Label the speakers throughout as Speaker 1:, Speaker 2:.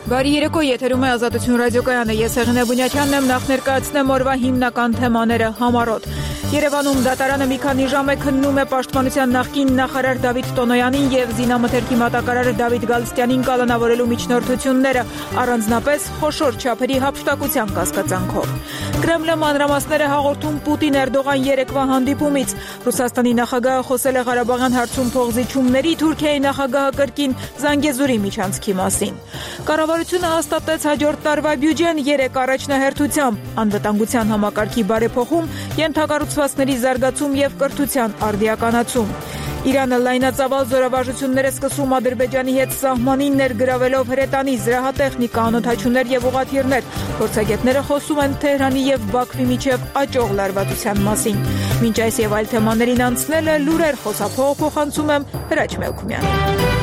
Speaker 1: Բարի երեկո, եթերում է Ազատություն ռադիոկայանը, ես Հեղինե Բունյաթյանն եմ, նախ ներկայացնեմ օրվա հիմնական թեմաները համառոտ։ Երևանում դատարանը մի քանի ժամ է քննում է Պաշտպանության նախկին նախարար Դավիթ Տոնոյանին եւ զինամթերքի մատակարար Դավիթ Գալստյանին կալանավորելու միջնորդությունները, առանձնապես խոշոր չափերի հափշտակության կասկածանքով։ Կրեմլը մանրամասներ է հաղորդում Պուտին-Էրդողան երեկվա հանդիպումից։ Ռուսաստանի նախագահը խոսել է Ղարաբաղյան հարցում փողզիջումների, Թուրքիայի նախագահը կրկին Զանգեզուրի միջանցքի մասին։ Կառավարությունը հաստատեց հաջորդ տարվա բյուջեն 3 առաջնահերթությամբ՝ անվտանգության համակարգի բարեփոխում, ենթակառուցվածքների զարգացում եւ կրթության արդիականացում։ Իրանը լայնածավալ զորավարժություններ է սկսում Ադրբեջանի հետ սահմանին ներգրավելով հրետանի, զրահատեխնիկա, անօդաչուներ եւ ուղղաթիռներ։ Փորձագետները խոսում են Թեհրանի եւ Բաքվի միջև աճող լարվածության մասին։ Մինչ այս եւ այլ թեմաներին անցնելը լուրեր խոսափողը փոխանցում եմ Հրաչ Մելքումյանին։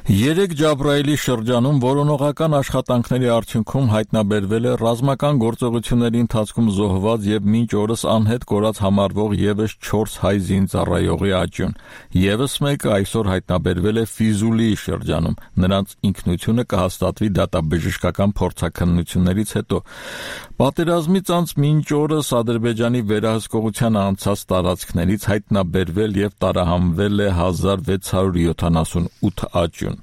Speaker 2: 3 Ջաբրայելի շրջանում որոնողական աշխատանքների արդյունքում հայտնաբերվել է ռազմական գործողությունների ընթացքում զոհված եւ մինչ օրս անհետ կորած համարվող եւս 4 հայ զինծառայողի աճյուն։ Եվս մեկը այսօր հայտնաբերվել է Ֆիզուլիի շրջանում։ Նրանց ինքնությունը կհաստատվի դատաբժշկական փորձաքննություններից հետո։ Պատերազմից անց մինչ օրս Ադրբեջանի վերահսկողության անցած տարածքներից հայտնաբերվել եւ տարահանվել է 1678 աճյուն։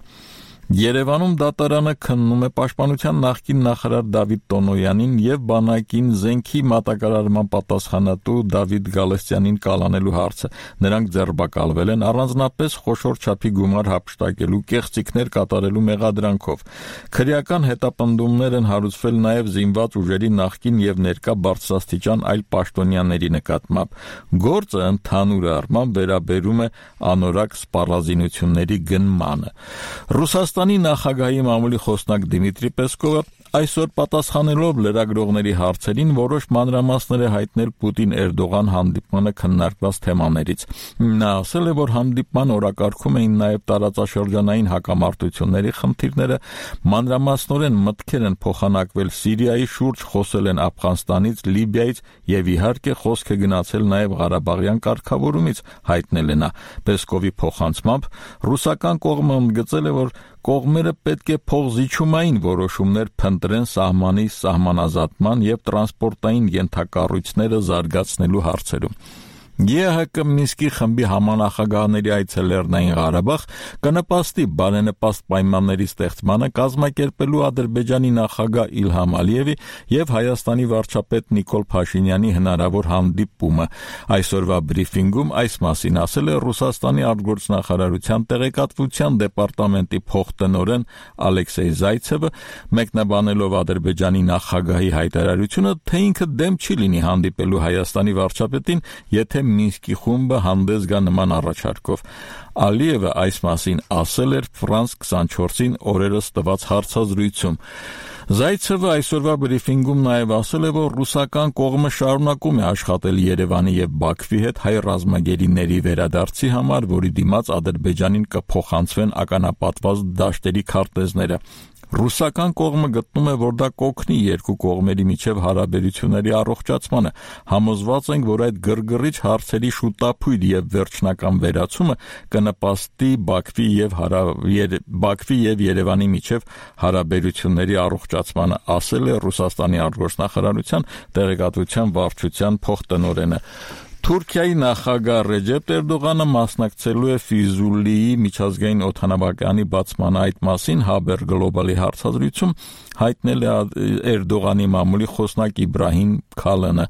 Speaker 2: Երևանում դատարանը քննում է Պաշտպանության նախկին նախարար Դավիթ Տոնոյանին եւ բանակին զենքի մատակարարման պատասխանատու Դավիթ Գալստյանին կալանելու հարցը։ Նրանք ձերբակալվել են առանձնապես խոշոր չափի գումար հափշտակելու, կեղծիքներ կատարելու մեղադրանքով։ Քրեական հետապնդումներ են հարուցվել նաեւ զինված ուժերի նախկին եւ ներկա բարձրաստիճան այլ պաշտոնյաների նկատմամբ։ Գործը ընդհանուր առմամբ վերաբերում է անորակ սպառազինությունների գնմանը։ Ռուսաստանի նախագահի մամուլի խոսնակ Դիմիտրի Պեսկովը այսօր պատասխանելով լրագրողների հարցերին որոշ մանրամասներ է հայտնել Պուտին-Էրդողան հանդիպմանը քննարկված թեմաներից։ Նա ասել է, որ հանդիպման օրակարգում էին նաև տարածաշրջանային հակամարտությունների խնդիրները, մանրամասնորեն մտքեր են փոխանակվել Սիրիայի շուրջ, խոսել են Աֆղանստանից, Լիբիայից եւ իհարկե խոսք է գնացել նաև Ղարաբաղյան կարգավորումից, հայտնել է նա։ Պեսկովի փոխանցմամբ ռուսական կողմը ընդգծել է, որ կողմերը պետք է փողզիջումային որոշումներ փնտրեն սահմանի սահմանազատման եւ տրանսպորտային ենթակառույցները զարգացնելու հարցերում։ ԵՀԿ Մինսկի խմբի համանախագահների այցը Լեռնային Ղարաբաղ կնպաստի բարենպաստ պայմանների ստեղծմանը կազմակերպելու Ադրբեջանի նախագահ Իլհամ Ալիևի եւ Հայաստանի վարչապետ Նիկոլ Փաշինյանի հնարավոր հանդիպումը։ Այսօրվա բրիֆինգում այս մասին ասել է Ռուսաստանի արտգործնախարարության տեղեկատվության դեպարտամենտի փոխտնօրեն Ալեքսեյ Զայցևը, մեկնաբանելով Ադրբեջանի նախագահի հայտարարությունը, թե ինքը դեմ չի լինի հանդիպելու Հայաստանի վարչապետին, եթե Մինսկի խումբը հանդես գա նման առաջարկով։ Ալիևը այս մասին ասել էր Ֆրանս 24-ին օրերս տված հարցազրույցում։ Զայցևը այսօրվա բրիֆինգում նաև ասել է, որ ռուսական կողմը շարունակում է աշխատել Երևանի եւ Բաքվի հետ հայ ռազմագերիների վերադարձի համար, որի դիմաց Ադրբեջանին կփոխանցվեն ականապատված դաշտերի քարտեզները։ Ռուսական կողմը գտնում է, որ դա կօգնի երկու կողմերի միջև հարաբերությունների առողջացմանը։ Համոզված ենք, որ այդ գրգռիչ հարցերի շուտափույթ եւ վերջնական վերացումը կնպաստի Բաքվի եւ Երևանի միջև հարաբերությունների առողջացմանը, ասել է Ռուսաստանի արտգործնախարարության տեղեկատվության վարչության փոխտնօրենը։ Թուրքիայի նախագահ Ռեջեփ Էրդողանը մասնակցելու է Ֆիզուլիի միջազգային օդանավակայանի բացմանը։ Այդ մասին Haber Global-ի հարցազրույցում հայտնել է Էրդողանի մամուլի խոսնակ Իբրահիմ Քալանը։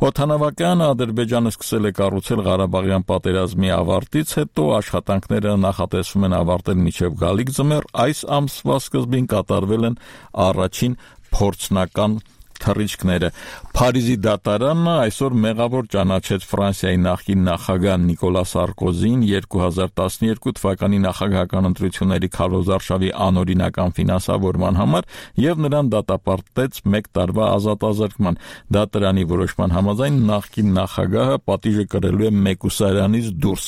Speaker 2: Օդանավակայանը Ադրբեջանը սկսել է կառուցել Ղարաբաղյան պատերազմի ավարտից հետո, աշխատանքները նախատեսվում են ավարտել մինչև գալիք ձմեռ։ Այս ամսվա սկզբին կատարվել են առաջին փորձնական թռիչքները։ Փարիզի դատարանը այսօր մեղավոր ճանաչեց Ֆրանսիայի նախկին նախագահ Նիկոլա Սարկոզին 2012 թվականի նախագահական ընտրությունների քարոզարշավի անօրինական ֆինանսավորման համար եւ նրան դատապարտեց 1 տարվա ազատազրկման։ Դատարանի որոշման համաձայն նախկին նախագահը պատիժը կրելու է մեկուսարանից դուրս։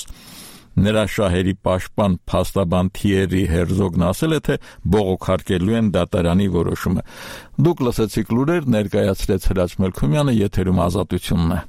Speaker 2: Նրա շահերի պաշտպան փաստաբան Թիերի Հերզոգն ասել է, թե բողոքարկելու են դատարանի որոշումը։ Դուք լսեցիք լուրեր, ներկայացրեց Հրաչ Մելքումյանը, եթերում Ազատությունն է։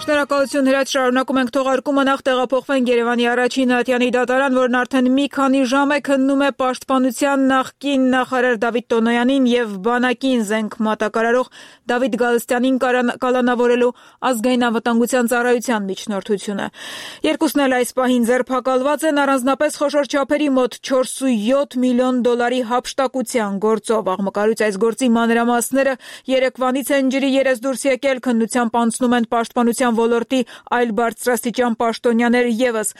Speaker 1: Շնորհակալություն Հրաչ, շարունակում ենք թողարկումը, նախ տեղափոխվենք Երևանի առաջին ատյանի դատարան, որն արդեն մի քանի ժամ է քննում է պաշտպանության նախկին նախարար Դավիթ Տոնոյանին եւ բանակին զենք մատակարարող Դավիթ Գալստյանին կալանավորելու ազգային անվտանգության ծառայության միջնորդությունը։ Երկուսն էլ այս պահին ձերբակալված են առանձնապես խոշոր չափերի մոտ 4.7 միլիոն դոլարի հափշտակության գործով։ Աղմկարույց այս գործի մանրամասները երեկվանից են ջրի երես դուրս եկել, քննությամբ անցնում են պաշտպանության ոլորտի այլ բարձրաստիճան պաշտոնյաներ ևս։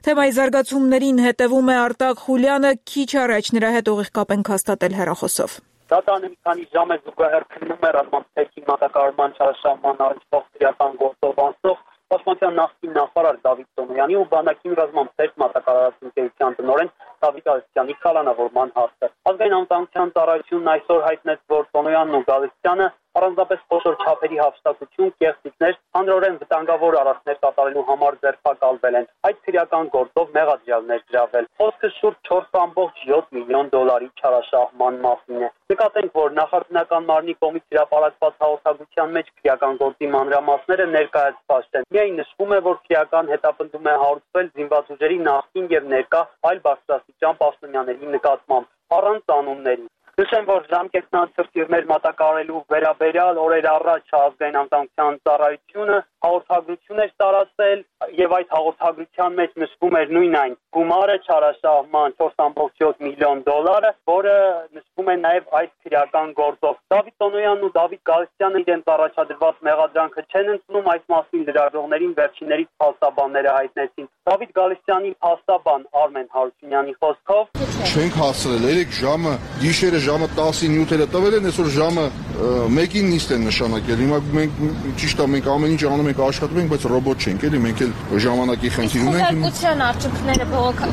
Speaker 1: Թեմայի զարգացումներին հետևում է Արտակ Խուլյանը, քիչ առաջ նրա հետ ուղիղ կապ ենք հաստատել հեռախոսով։
Speaker 3: Դատարանը մի քանի ժամ է զուգահեռ քննում է ռազմաձեռքի մատակարարման չարաշահման առնչվող քրեական գործով անցող պաշտպանության նախկին նախարար Դավիթ Տոնոյանի ու բանակին ռազմաձեռք մատակարարած ընկերության տնօրեն Դավիթ Գալստյանի կալանավորման հարցը։ Ազգային անվտանգության ծառայությունն այսօր հայտնեց, որ Տոնոյանն ու Գալստյանը առանձնապես խոշոր չափերի հափշտակություն, կեղծիքներ, հանրորեն վտանգավոր արարքներ կատարելու համար ձերբակալվել են։ Այդ քրեական գործով մեղադրյալներ գրավել։ Խոսքը շուրջ 4.7 միլիոն դոլարի չարաշահման մասին է։ Նկատենք, որ նախարարական մարմնի կողմից հրապարակված հաղորդագրության մեջ քրեական գործի մանրամասները ներկայացված չեն։ Միայն նշվում է, որ քրեական հետապնդում է հարուցվել զինված ուժերի նախկին եւ ներկա այլ բարձրաստիճան պաշտոնյաների նկատմամբ, առանց անունների։ Նշեմ, որ ժամկետնացրտիրներ մատակարարելու վերաբերյալ օրեր առաջ ազգային անվտանգության ծառայությունը հաղորդագրություն էր տարածել եւ այդ հաղորդագրության մեջ նշվում էր նույն այն գումարը չարաշահման 4.7 միլիոն դոլարը, որը նշվում է նաեւ այդ քրեական գործով։ Դավիթ Տոնոյանն ու Դավիթ Գալստյանը իրենց առաջադրված մեղադրանքը չեն ընդունում, այս մասին լրագրողներին վերջիններից փաստաբանները հայտնեցին։ Դավիթ Գալստյանի փաստաբան Արմեն Հարությունյանի խոսքով
Speaker 4: չենք հասցրել 3 ժամը գիշերը ժամը 10-7-ը տվել են, այսօր ժամը 1-ին նիստ են նշանակել։ Հիմա մենք ճիշտ է, մենք ամեն ինչ անում ենք, աշխատում ենք, բայց ռոբոտ չենք, էլի մենք էլ ժամանակի խնդիր ունենք։
Speaker 5: Քննարկության արդյունքները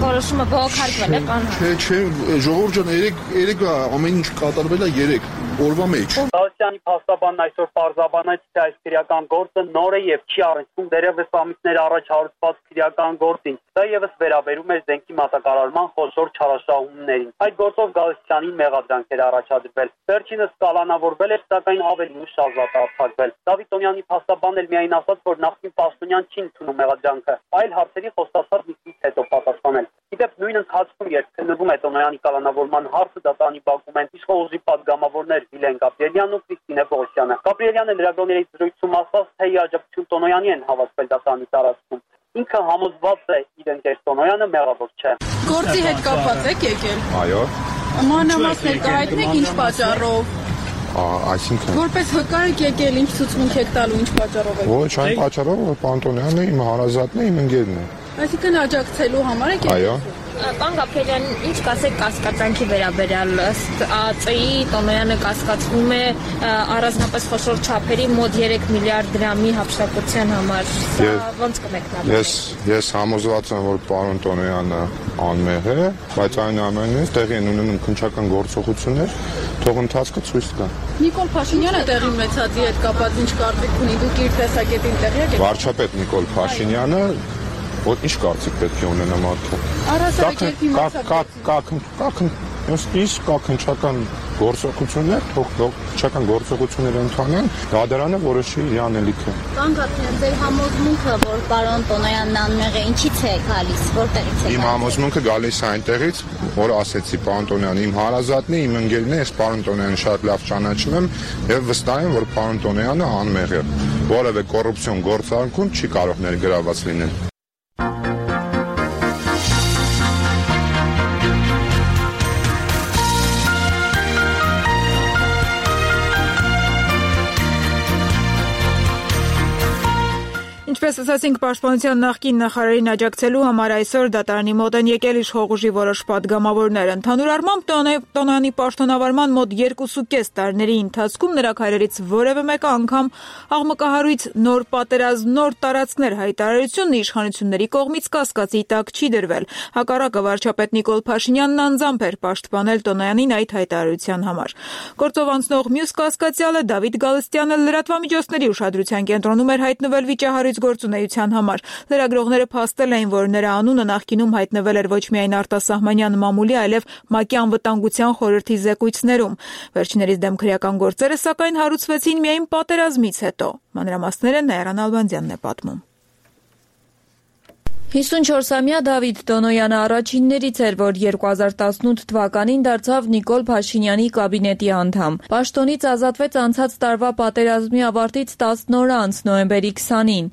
Speaker 5: որոշումը բողոքարկվել է կանոն։
Speaker 4: Չէ, ժողովուրդ ջան, 3 ամեն ինչ կատարվել է 3 օրվա մեջ։
Speaker 3: Գալստյանի փաստաբանն այսօր պարզաբանեց, թե այս քրեական գործը նոր է եւ չի առնչվում դեռևս ամիսներ առաջ հարուցված քրեական գործին։ Դա եւս վերաբերում է զենքի մատակարարման խոշոր չարաշահումներին։ Այդ գործով Գալստյանին մեղադրանք էր առաջադրվել։ Վերջինս կալանավորվել էր, սակայն ավելի ուշ ազատ արձակվել։ Դավիթ Տոնոյանի փաստաբանն էլ միայն ասաց, որ նախկին պաշտոնյան չի ընդունում մեղադրանքը, այլ հարցերի խոստացած նիստից հետո պատասխանել։ Իդեպ նույն ընթացքում, երբ քննվում է Տոնոյանի կալանավորման հարցը, դատարանի բակում են իշխող ուժի падգամավորներ Վիլեն Գաբրիելյանն ու Կրիստինե Պողոսյանը։ Գաբրիելյանը լրագրողների զրույցում ասաց, թե ի աջակցություն Տոնոյանի են հավաքվել դատարանի տարածքում։ Ինքը համոզված է իր ընկեր Տոնոյանը մեղավոր չէ։
Speaker 6: Գործի հետ կապված եք եկել։
Speaker 4: Այո։
Speaker 6: Մանրամասներ կհայտնեք ինչ պատճառով։
Speaker 4: Այսինքն
Speaker 6: Որպես վկա եք եկել, ինչ ցուցմունք եք տալու, ինչ պատճառով եք։
Speaker 4: ոչ այն պատճառով, որ Պանտոնյանն է, իմ հարազատն է, իմ ընկերն է։
Speaker 6: Այսինքն աջակցելու համար եք եկել։
Speaker 4: Այո։
Speaker 5: Պարոն Գաբրիելյան, ինչ կասեք կասկածանքի վերաբերյալ ըստ ԱԾ-ի Տոնոյանը կասկածվում է առանձնապես խոշոր չափերի մոտ 3 միլիարդ դրամի հափշտակության համար։ Սա ոնց կմեկնաբանեք։
Speaker 4: Ես համոզված եմ, որ պարոն Տոնոյանը անմեղ է, բայց այն ամենից տեղի են ունենում քննչական գործողություններ, թող ընթացքը ցույց տա։
Speaker 6: Նիկոլ Փաշինյանը տեղի ունեցածի հետ կապված ինչ կարծիք ունի, դուք իր տեսակետին տեղյակ եք։
Speaker 4: Վարչապետ Նիկոլ Փաշինյանը Որ ինչ կարծիք պետք է ունենա մարդը։
Speaker 6: Առասարակ երկի
Speaker 4: կա քննչական գործողություններ, թող քննչական գործողություններ ընթանան, դատարանը որոշի իր անելիքը։
Speaker 7: Պարոն Գաբրիելյան, ձեր համոզմունքը, որ պարոն Տոնոյանն անմեղ է, ինչից է գալիս, որտեղից է գալիս։
Speaker 4: Իմ համոզմունքը գալիս է այնտեղից, որ ասեցի պարոն Տոնոյանը իմ հարազատն է, իմ ընկերն է, ես պարոն Տոնոյանին շատ լավ ճանաչում եմ եւ վստահ եմ, որ պարոն Տոնոյանը անմեղ է։ Որևէ կոռուպցիոն գործարքում չի կարող ներգրաված լինել։
Speaker 1: Ինչպես ասացինք, պաշտպանության նախկին նախարարին աջակցելու համար այսօր դատարանի մոտ են եկել իշխող ուժի որոշ падգամավորներ։ Ընդհանուր առմամբ Տոնոյանի պաշտոնավարման մոտ 2.5 տարիների ընթացքում նրա քայլերից որևէ մեկը անգամ աղմկահարույց նոր պատերազմ, նոր տարածքներ հայտարարությունն իշխանությունների կողմից կասկածի տակ չի դրվել։ Հակառակը վարչապետ Նիկոլ Փաշինյանն անձամբ էր պաշտպանել Տոնոյանին այդ հայտարարության համար։ Գործով անցնող մյուս կասկածյալը Դավիթ Գալստյանը լրատվամիջոցների ուշադրության կենտրոնում էր հայտնվել վիճահարույց գործունեության համար։ Լրագրողները փաստել էին, որ նրա անունը նախկինում հայտնվել էր ոչ միայն արտասահմանյան մամուլի, այլև ՄԱԿ-ի անվտանգության խորհրդի զեկույցներում։ Վերջիններիս դեմ քրեական գործերը, սակայն, հարուցվեցին միայն պատերազմից հետո։ Մանրամասները Նաիրա Նալբանդյանն է պատմում։
Speaker 5: 54-ամյա Դավիթ Տոնոյանը առաջիններից էր, որ 2018 թվականին դարձավ Նիկոլ Փաշինյանի կաբինետի անդամ։ Պաշտոնից ազատվեց անցած տարվա պատերազմի ավարտից 10 օր անց, նոյեմբերի 20-ին։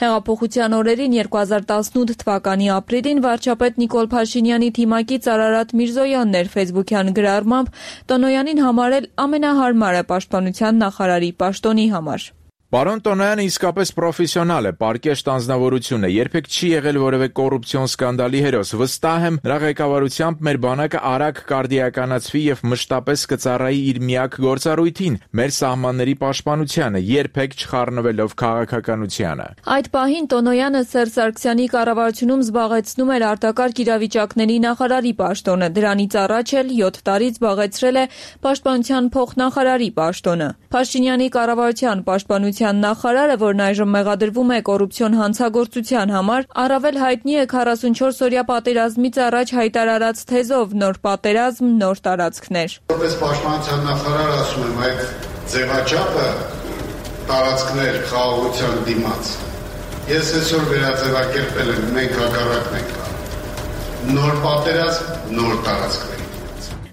Speaker 5: Հեղափոխության օրերին 2018 թվականի ապրիլին վարչապետ Նիկոլ Փաշինյանի թիմակից Արարատ Միրզոյանն էր ֆեյսբուքյան գրառմամբ Տոնոյանին համարել ամենահարմարը պաշտպանության նախարարի պաշտոնի համար։
Speaker 8: Պարոն Տոնոյանը իսկապես պրոֆեսիոնալ է, պարկեշտ անձնավորություն է, երբեք չի եղել որևէ կոռուպցիոն սկանդալի հերոս։ Վստահ եմ, նրա ղեկավարությամբ մեր բանակը արագ կարդիականացվի եւ մշտապես կծառայի իր միակ գործառույթին՝ մեր սահմանների պաշտպանությանը, երբեք չխառնվելով քաղաքականությանը։
Speaker 5: Այդ պահին Տոնոյանը Սերժ Սարգսյանի կառավարությունում զբաղեցնում էր արտակարգ իրավիճակների նախարարի պաշտոնը, դրանից առաջ էլ 7 տարի զբաղեցրել է պաշտպանության փոխնախարարի պաշտոնը։ Փաշինյանի կառավարության պաշտպանության նախարարը, որն այժմ մեղադրվում է կոռուպցիոն հանցագործության համար, առավել հայտնի է 44-օրյա պատերազմից առաջ հայտարարած թեզով «Նոր պատերազմ, նոր տարածքներ»։
Speaker 9: Որպես պաշտպանության նախարար ասում եմ, այդ ձևաչափը տարածքներ խաղաղության դիմաց ես այսօր վերաձևակերպել եմ, մենք հակառակն ենք անում։ Նոր պատերազմ, նոր տարածքներ։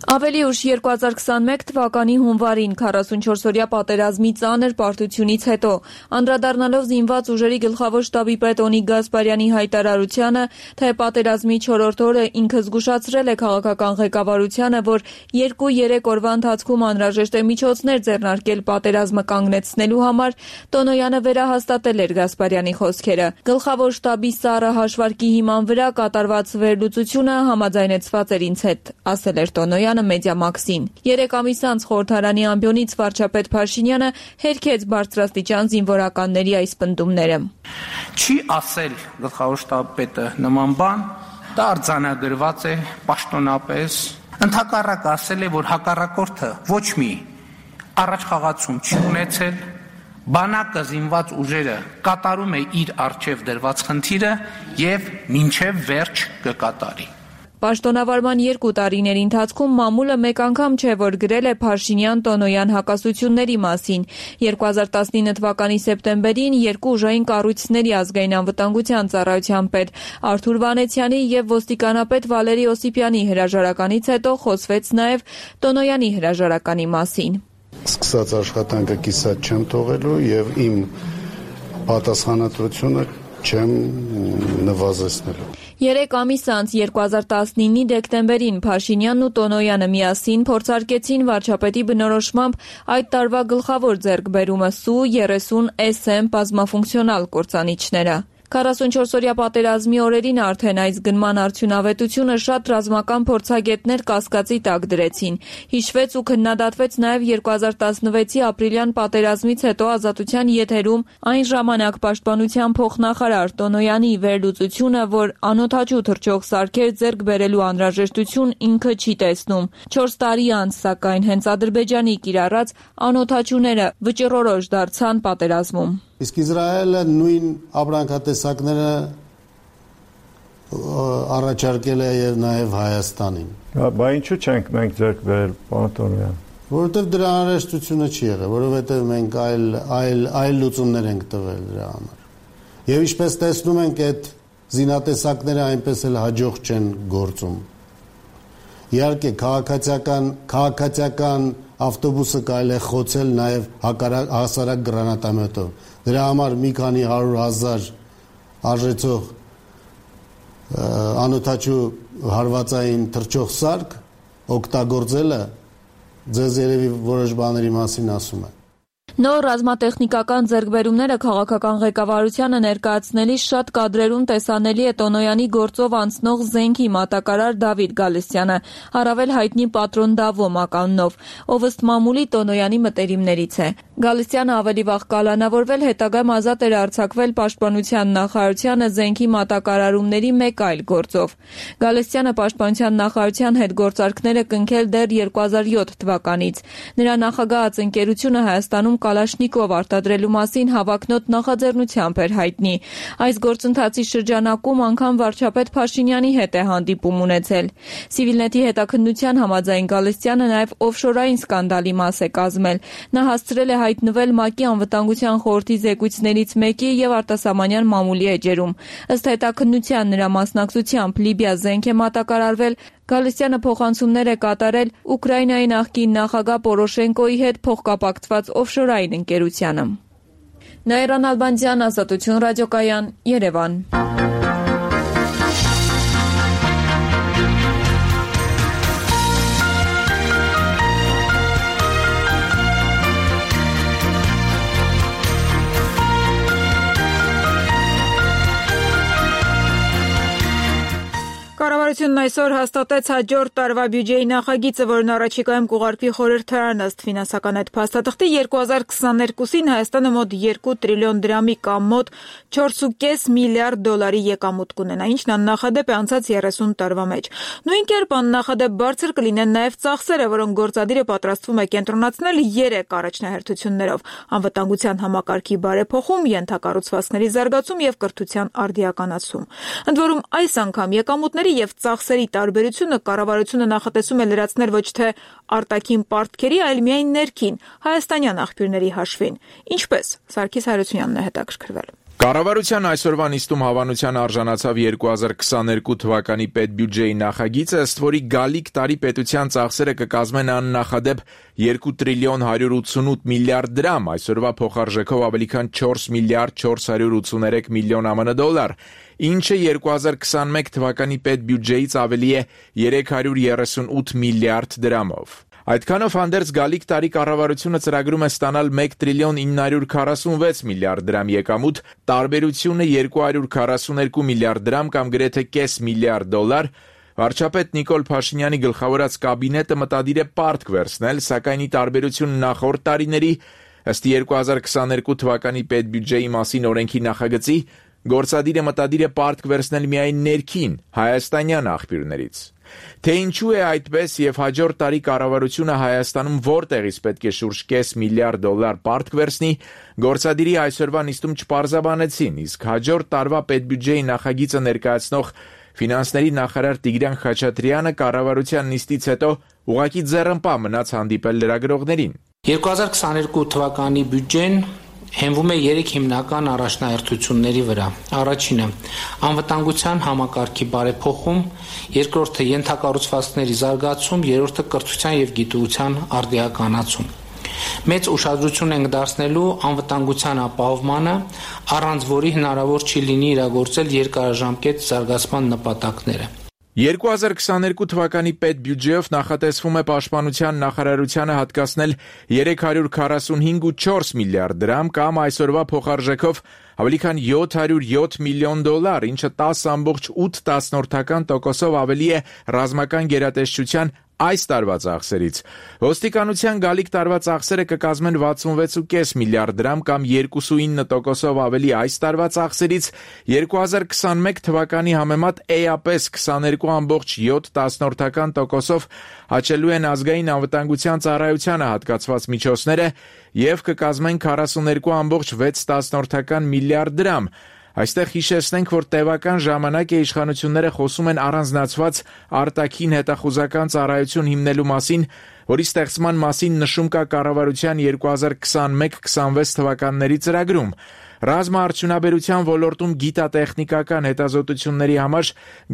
Speaker 5: Ավելի ուշ 2021 թվականի հունվարին 44-օրյա պատերազմի ծանր պարտությունից հետո, անդրադառնալով զինված ուժերի գլխավոր շտաբի պետ Օնիկ Գասպարյանի հայտարարությանը, թե պատերազմի 4-րդ օրը ինքը զգուշացրել է քաղաքական ղեկավարությանը, որ 2-3 օրվա ընթացքում անհրաժեշտ է միջոցներ ձեռնարկել պատերազմը կանգնեցնելու համար, Տոնոյանը վերահաստատել էր Գասպարյանի խոսքերը։ Գլխավոր շտաբի սառը հաշվարկի հիման վրա կատարված վերլուծությունը համաձայնեցված էր ինձ հետ, ասել էր Տոնոյանը Մեդիամաքսին։ 3 ամիս անց խորհրդարանի ամբիոնից վարչապետ Փաշինյանը հերքեց բարձրաստիճան զինվորականների այս պնդումները։
Speaker 10: Չի ասել գլխավոր շտաբի պետը նման բան, դա արձանագրված է պաշտոնապես, ընդհակառակը ասել է, որ հակառակորդը ոչ մի առաջխաղացում չի ունեցել, բանակը զինված ուժերը կատարում է իր առջև դրված խնդիրը եւ մինչեւ վերջ կկատարի։
Speaker 5: Պաշտոնավարման 2 տարիների ընթացքում մամուլը մեկ անգամ չէ, որ գրել է Փաշինյան-Տոնոյան հակասությունների մասին։ 2019 թվականի սեպտեմբերին 2 ուժային կառույցների ազգային անվտանգության ծառայության պետ Արթուր Վանեցյանի եւ ոստիկանապետ Վալերի Օսիպյանի հրաժարականից հետո խոսվեց նաեւ Տոնոյանի հրաժարականի մասին։
Speaker 9: Սկսած աշխատանքը կիսատ չեմ թողելու եւ իմ պատասխանատվությունը չեմ նվազեցնելու։
Speaker 5: 3 ամիս անց 2019-ի դեկտեմբերին Փաշինյանն ու Տոնոյանը միասին փորձարկեցին վարչապետի բնորոշմամբ այդ տարվա գլխավոր ձեռքբերումը Սու-30 SM բազմաֆունկցիոնալ կործանիչները։ 44-օրյա պատերազմի օրերին արդեն այս գնման արդյունավետությունը շատ ռազմական փորձագետներ կասկածի տակ դրեցին։ Հիշվեց ու քննադատվեց նաև 2016-ի ապրիլյան պատերազմից հետո Ազատության եթերում այն ժամանակ պաշտպանության փոխնախարար Տոնոյանի վերլուծությունը, որ անօդաչու թռչող սարքեր ձեռք բերելու անհրաժեշտություն ինքը չի տեսնում։ 4 տարի անց, սակայն, հենց Ադրբեջանի կիրառած անօդաչուները վճռորոշ դարձան պատերազմում։
Speaker 9: Իսկ Իսրայելը նույն ապրանքատեսակները առաջարկել է եւ նաեւ Հայաստանին։
Speaker 11: Բա ինչու չենք մենք ձեռք բերել, պարոն Տոնոյան։
Speaker 9: Որովհետեւ դրա անհրաժեշտությունը չի եղել, որովհետեւ մենք այլ լուծումներ ենք տվել դրա համար։ Եվ ինչպես տեսնում ենք, այդ զինատեսակները այնպես էլ հաջող չեն գործում։ Իհարկե քաղաքացիական ավտոբուսը կարելի է խոցել նաև հասարակ գրանատամետով։ Դրա համար մի քանի 100,000 արժեցող անօդաչու հարվածային թռչող սարք օգտագործելը ձեզ երևի որոշ բաների մասին ասում է։
Speaker 5: Նոր ռազմատեխնիկական ձեռքբերումները քաղաքական ղեկավարությանը ներկայացնելիս շատ կադրերում տեսանելի է Տոնոյանի գործով անցնող զենքի մատակարար Դավիթ Գալստյանը, առավել հայտնի Պատրոն Դավո մականունով, ով ըստ մամուլի Տոնոյանի մտերիմներից է։ Գալստյանը ավելի վաղ կալանավորվել, հետագայում ազատ էր արձակվել Պաշտպանության նախարարությանը զենքի մատակարարումների մեկ այլ գործով։ Գալստյանը Պաշտպանության նախարարության հետ գործարքներ է կնքել դեռ 2007 թվականից։ Նրա նախագահած ընկերությունը Հայաստանում
Speaker 12: կալաշնիկով արտադրելու մասին հավակնոտ նախաձեռնությամբ էր հայտնի։ Այս գործընթացի շրջանակում անգամ վարչապետ Փաշինյանի հետ է հանդիպում ունեցել։ Civilnet-ի հետաքննության համաձայն Գալստյանը նաև օֆշորային սկանդալի մաս է կազմել։ Նա հասցրել է հայտնվել ՄԱԿ-ի անվտանգության խորհրդի զեկույցներից մեկի եւ արտասահմանյան մամուլի էջերում։ Ըստ հետաքննության նրա մասնակցությամբ Լիբիա զենք է մատակարարվել, Գալստյանը փոխանցումներ է կատարել Ուկրաինայի նախկին նախագահ Պորոշենկոյի հետ փոխկապակցված օֆշորային ընկերությանը։ Նաիրան Ալբանդյան, Ազատություն ռադիոկայան, Երևան։
Speaker 1: Կառավարությունն այսօր հաստատեց հաջորդ տարվա բյուջեի նախագիծը, որն առաջիկայում կուղարկվի խորհրդարան ըստ ֆինանսական այդ փաստաթղթի 2022-ին Հայաստանը մոտ 2 տրիլիոն դրամի կամ մոտ 4.5 միլիարդ դոլարի եկամուտ կունենա, ինչն աննախադեպ է անցած 30 տարվա մեջ։ Նույն կերպ աննախադեպ բարձր կլինեն նաև ծախսերը, որոնք գործադիրը պատրաստվում է կենտրոնացնել 3 առաջնահերթություններով՝ անվտանգության համակարգի բարեփոխում, ենթակառուցվածքների զարգացում եւ կրթության արդիականացում։ Ընդ որում այս անգամ եկամուտների եւ ծախսերի տարբերությունը կառավարությունը նախատեսում է լրացնել ոչ թե արտաքին պարտքերի, այլ միայն ներքին հայաստանյան աղբյուրների հաշվին։ Ինչպես Սարգիս Հայրությունյանն է հետաքրքրվել։
Speaker 8: Կառավարության այսօրվա նիստում հավանության արժանացավ 2022 թվականի պետբյուջեի նախագիծը, ըստ որի գալիք տարի պետության ծախսերը կկազմեն աննախադեպ 2 տրիլիոն 188 միլիարդ դրամ, այսօրվա փոխարժեքով ավելի քան 4 միլիարդ 483 միլիոն ԱՄՆ դոլար, ինչը 2021 թվականի պետբյուջեից ավելի է 338 միլիարդ դրամով։ Այդքանով հանդերձ գալիք տարի կառավարությունը ծրագրում է ստանալ 1 տրիլիոն 946 միլիարդ դրամ եկամուտ, տարբերությունը 242 միլիարդ դրամ կամ գրեթե կես միլիարդ դոլար։ Վարչապետ Նիկոլ Փաշինյանի գլխավորած կաբինետը մտադիր է պարտք վերցնել, սակայն ի տարբերություն նախորդ տարիների, ըստ 2022 թվականի պետբյուջեի մասին օրենքի նախագծի, գործադիրը մտադիր է պարտք վերցնել միայն ներքին հայաստանյան աղբյուրներից։ Թե ինչու է այդպես եւ հաջորդ տարի կառավարությունը Հայաստանում որտեղից պետք է շուրջ կես միլիարդ դոլար պարտք վերցնի, գործադիրի այսօրվա նիստում չպարզաբանեցին, իսկ հաջորդ տարվա պետբյուջեի նախագիծը ներկայացնող ֆինանսների նախարար Տիգրան Խաչատրյանը կառավարության նիստից հետո ուղղակի ձեռնպահ մնաց հանդիպել լրագրողներին։
Speaker 10: 2022 թվականի բյուջեն հենվում է 3 հիմնական առաջնահերթությունների վրա։ Առաջինը՝ անվտանգության համակարգի բարեփոխում, երկրորդը՝ ենթակառուցվածքների զարգացում, երրորդը՝ կրթության եւ գիտության արդիականացում։ Մեծ ուշադրություն ենք դարձնելու անվտանգության ապահովմանը, առանց որի հնարավոր չի լինի իրագործել երկարաժամկետ զարգացման նպատակները։
Speaker 8: 2022 թվականի պետբյուջեով նախատեսվում է պաշտպանության նախարարությանը հատկացնել 345.4 միլիարդ դրամ կամ այսօրվա փոխարժեքով ավելի քան 707 միլիոն դոլար, ինչը 10.8% ավելի է ռազմական գերատեսչության այս տարվա ծախսերից։ Ոստիկանության գալիք տարվա ծախսերը կկազմեն 66.5 միլիարդ դրամ կամ 2.9% ավելի այս տարվա ծախսերից, 2021 թվականի համեմատ էապես 22.7% հաճելու են ազգային անվտանգության ծառայությանը հատկացված միջոցները եւ կկազմեն 42.6 միլիարդ դրամ։ Այստեղ հիշեցնենք, որ տևական ժամանակ է իշխանությունները խոսում են առանձնացված արտաքին հետախուզական ծառայություն հիմնելու մասին, որի ստեղծման մասին նշում կա կառավարության 2021-26 թվականների ծրագրում։ Ռազմաարդյունաբերության ոլորտում գիտատեխնիկական հետազոտությունների համար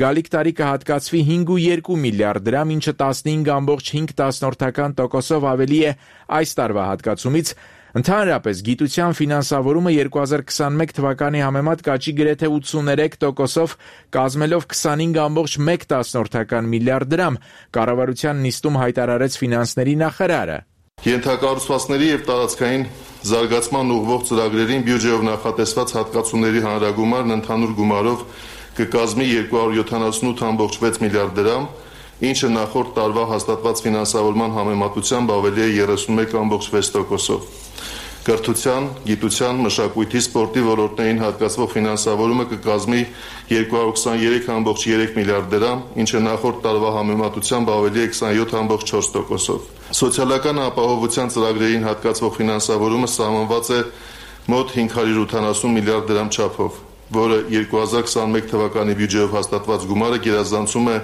Speaker 8: գալիք տարի կհատկացվի 5.2 միլիարդ դրամ, ինչը 15.5% ավելի է այս տարվա հատկացումից։ Ընդհանրապես գիտության ֆինանսավորումը 2021 թվականի համեմատ կաճի գրեթե 83%-ով, կազմելով 25.1 միլիարդ դրամ, կառավարության նիստում հայտարարեց ֆինանսների նախարարը։
Speaker 13: Ենթակառուցվածքների եւ տարածքային զարգացման ուղղվող ծրագրերին բյուջեով նախատեսված հատկացումների հանրագումարն ընդհանուր գումարով կկազմի 278.6 միլիարդ դրամ, ինչը նախորդ տարվա հաստատված ֆինանսավորման համեմատությամբ ավելի է 31.6%-ով։ կրթության, գիտության, մշակույթի, սպորտի ոլորտներին հատկացվող ֆինանսավորումը կկազմի 223.3 միլիարդ դրամ, ինչը նախորդ տարվա համեմատությամբ ավելի է 27.4%-ով։ Սոցիալական ապահովության ծրագրերին հատկացվող ֆինանսավորումը սահմանված է մոտ 570 միլիարդ դրամ չափով, որը 2021 թվականի բյուջեով հաստատված գումարը գերազանցում է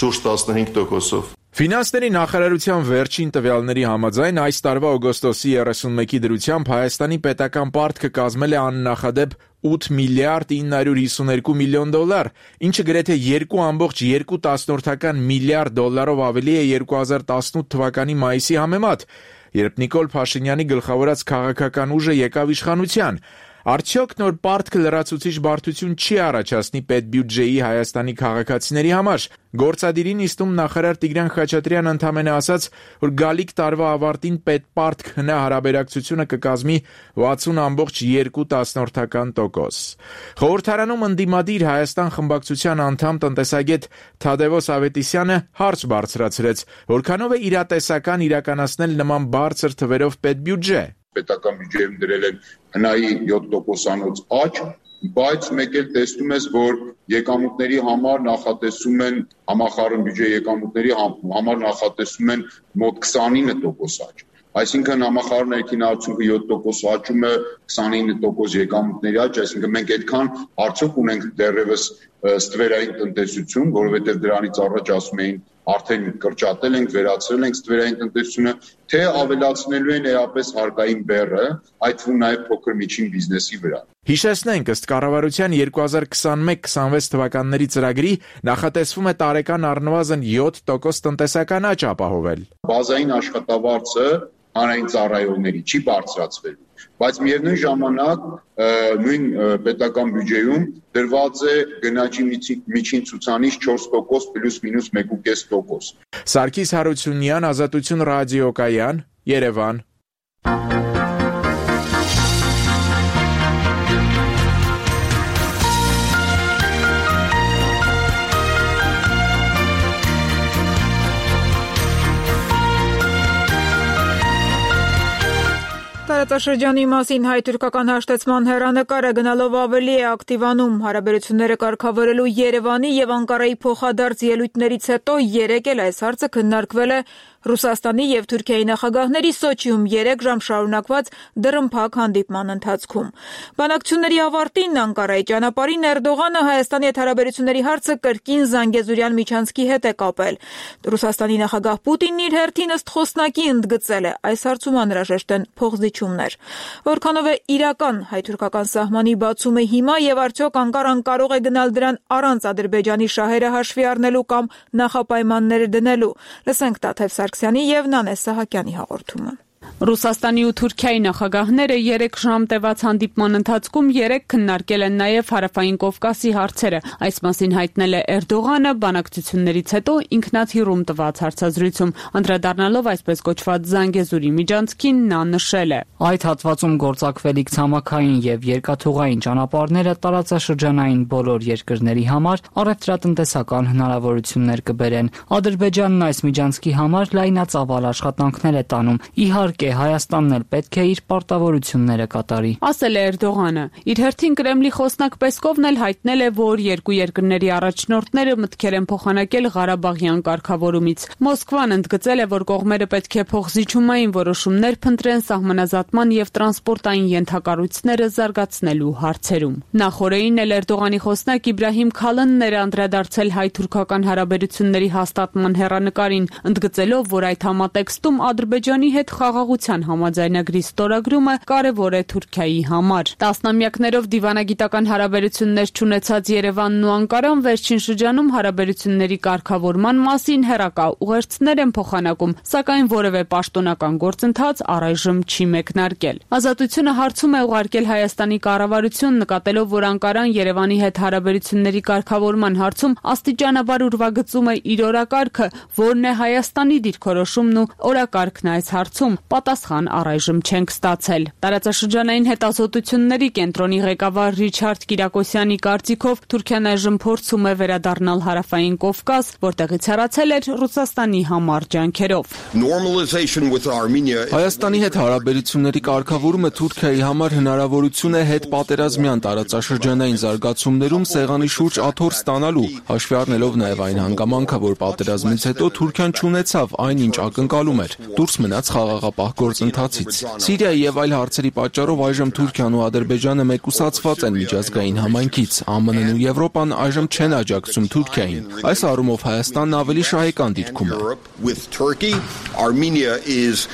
Speaker 13: շուրջ 15%-ով։
Speaker 8: Ֆինանսների նախարարության վերջին տվյալների համաձայն այս տարվա օգոստոսի 31-ի դրությամբ Հայաստանի պետական պարտքը կազմել է աննախադեպ 8 միլիարդ 952 միլիոն դոլար, ինչը գրեթե 2.2 միլիարդ դոլարով ավելի է 2018 թվականի մայիսի համեմատ, երբ Նիկոլ Փաշինյանի գլխավորած քաղաքական ուժը եկավ իշխանության։ Արդյոք նոր պարտքը լրացուցիչ բարդություն չի առաջացնի պետբյուջեի Հայաստանի քաղաքացիների համար։ Գործադիրին նիստում նախարար Տիգրան Խաչատրյանն ընդամենը ասաց, որ գալիք տարվա ավարտին պետպարտք հնարաբերակցությունը կկազմի 60.2%։ Խորհրդարանում ընդդիմադիր Հայաստան խմբակցության անդամ տնտեսագետ Թադևոս Ավետիսյանը հարց բարձրացրեց, որքանով է իրատեսական իրականացնել նման բարձր թվերով պետբյուջե։
Speaker 14: Պետական բյուջեում դրել են հնայի 7%-անոց աճ, բայց մեկ էլ տեսնում ես, որ եկամուտների համար նախատեսում են համախառն բյուջե եկամուտների համար նախատեսում են մոտ 29% աճ։ Այսինքն համախառն ներքին արդյունքը 7% աճում է 29% եկամուտների աճ, այսինքն մենք այդքան արդյոք ունենք դեռևս ստվերային տնտեսություն, որովհետև դրանից առաջ ասում էին արդեն կրճատել ենք, վերացրել ենք ստվերային տնտեսությունը, թե ավելացնելու են էապես հարկային բեռը, այդ թվում նաև փոքր միջին բիզնեսի վրա։
Speaker 8: Հիշեցնենք, ըստ կառավարության 2021-26 թվականների ծրագրի նախատեսվում է տարեկան առնվազն 7% տնտեսական աճ ապահովել։
Speaker 14: Բազային աշխատավարձը հանրային ծառայողների չի բարձրացվելու, բայց միևնույն ժամանակ նույն պետական բյուջեում դրված է գնաճի միջին ցուցանիշ 4% պլյուս մինուս 1.5%։
Speaker 8: Սարգիս Հարությունյան, Ազատություն ռադիոկայան, Երևան։
Speaker 1: Տարածաշրջանի մասին հայ-թուրքական հաշտեցման հեռանկարը գնալով ավելի է ակտիվանում։ Հարաբերությունները կարգավորելու Երևանի եւ Անկարայի փոխադարձ ելույթներից հետո երեկ էլ այս հարցը քննարկվել է Ռուսաստանի եւ Թուրքիայի նախագահների Սոչիում 3 ժամ շարունակված դռնփակ հանդիպման ընթացքում։ Բանակցությունների ավարտին Անկարայի ճանապարհին Էրդողանը Հայաստանի հետ հարաբերությունների հարցը կրկին Զանգեզուրյան միջանցքի հետ է կապել։ Ռուսաստանի նախագահ Պուտինն իր հերթին ըստ խոսնակի ընդգծել է, այս հարցում անհրաժեշտ են փոխզիջումներ։ Որքանով է իրական հայ-թուրքական սահմանի բացումը հիմա եւ արդյոք Անկարան կարող է գնալ դրան առանց Ադրբեջանի շահերը հաշվի առնելու կամ նախապայմաններ դնելու։ Լսենք Տաթև Սարգսյանի եւ Նանե Սահակյանի հաղորդումը։
Speaker 15: Ռուսաստանի ու Թուրքիայի նախագահները 3 ժամ տևած հանդիպման ընթացքում 3 քննարկել են նաև Հարավային Կովկասի հարցերը։ Այս մասին հայտնել է Էրդողանը բանակցություններից հետո ինքնաթիռում տված հարցազրույցում, անդրադառնալով այսպես կոչված Զանգեզուրի միջանցքին, նա նշել է.
Speaker 16: Այդ հատվածում գործակվելիք ցամաքային եւ երկաթուղային ճանապարհները տարածաշրջանային բոլոր երկրների համար առևտրատնտեսական հնարավորություններ կբերեն։ Ադրբեջանն այս միջանցքի համար լայնածավալ աշխատանքներ է տանում։ Իհարկե, Հայաստանն էլ պետք է իր պարտավորությունները կատարի,
Speaker 15: ասել է Էրդողանը։ Իր հերթին Կրեմլի խոսնակ Պեսկովն էլ հայտնել է, որ երկու երկրների առաջնորդները մտքեր են փոխանակել Ղարաբաղյան կարգավորումից։ Մոսկվան ընդգծել է, որ կողմերը պետք է փոխզիջումային որոշումներ փնտրեն սահմանազատման եւ տրանսպորտային ենթակառույցները զարգացնելու հարցերում։ Նախորդին էլ Էրդողանի խոսնակ Իբրահիմ Քալանն էր անդրադարձել հայ-թուրքական հարաբերությունների հաստատման հեռանկարին, ընդգծելով, որ այդ համատեքստում Ադրբեջանի հետ խաղաղության համաձայնագրի ստորագրումը կարևոր է Թուրքիայի համար։ Տասնամյակներով դիվանագիտական հարաբերություններ չունեցած Երևանն ու Անկարան վերջին շրջանում հարաբերությունների կարգավորման մասին հեռակա ուղերձներ են փոխանակում, սակայն որևէ պաշտոնական գործընթաց առայժմ չի մեկնարկել։ Ազատությունը հարցում է ուղարկել Հայաստանի կառավարություն, նկատելով, որ Անկարան Երևանի հետ հարաբերությունների կարգավորման հարցում աստիճանաբար ուրվագծում է իր օրակարգը, որն է Հայաստանի դիրքորոշումն ու օրակարգն այս հարցում։ պատասխան առայժմ չենք ստացել։ Տարածաշրջանային հետազոտությունների կենտրոնի ղեկավար Ռիչարդ Կիրակոսյանի կարծիքով Թուրքիան այժմ փորձում է վերադառնալ հարավային Կովկաս, որտեղից հեռացել էր Ռուսաստանի համար ջանքերով։
Speaker 17: Հայաստանի հետ հարաբերությունների կարգավորումը Թուրքիայի համար հնարավորություն է հետպատերազմյան տարածաշրջանային զարգացումներում սեղանի շուրջ աթոռ ստանալու, հաշվի առնելով նաև այն հանգամանքը, որ պատերազմից հետո Թուրքիան չունեցավ այն, ինչ ակնկալում էր, դուրս մնաց խաղաղապահ գործընթացից։ Սիրիայի եւ այլ հարցերի պատճառով այժմ Թուրքիան ու Ադրբեջանը մեկուսացված են միջազգային համայնքից, ԱՄՆ-ն ու Եվրոպան այժմ չեն աջակցում Թուրքիային։ Այս առումով Հայաստանն ավելի շահեկան դիրքում է։
Speaker 18: Armenia is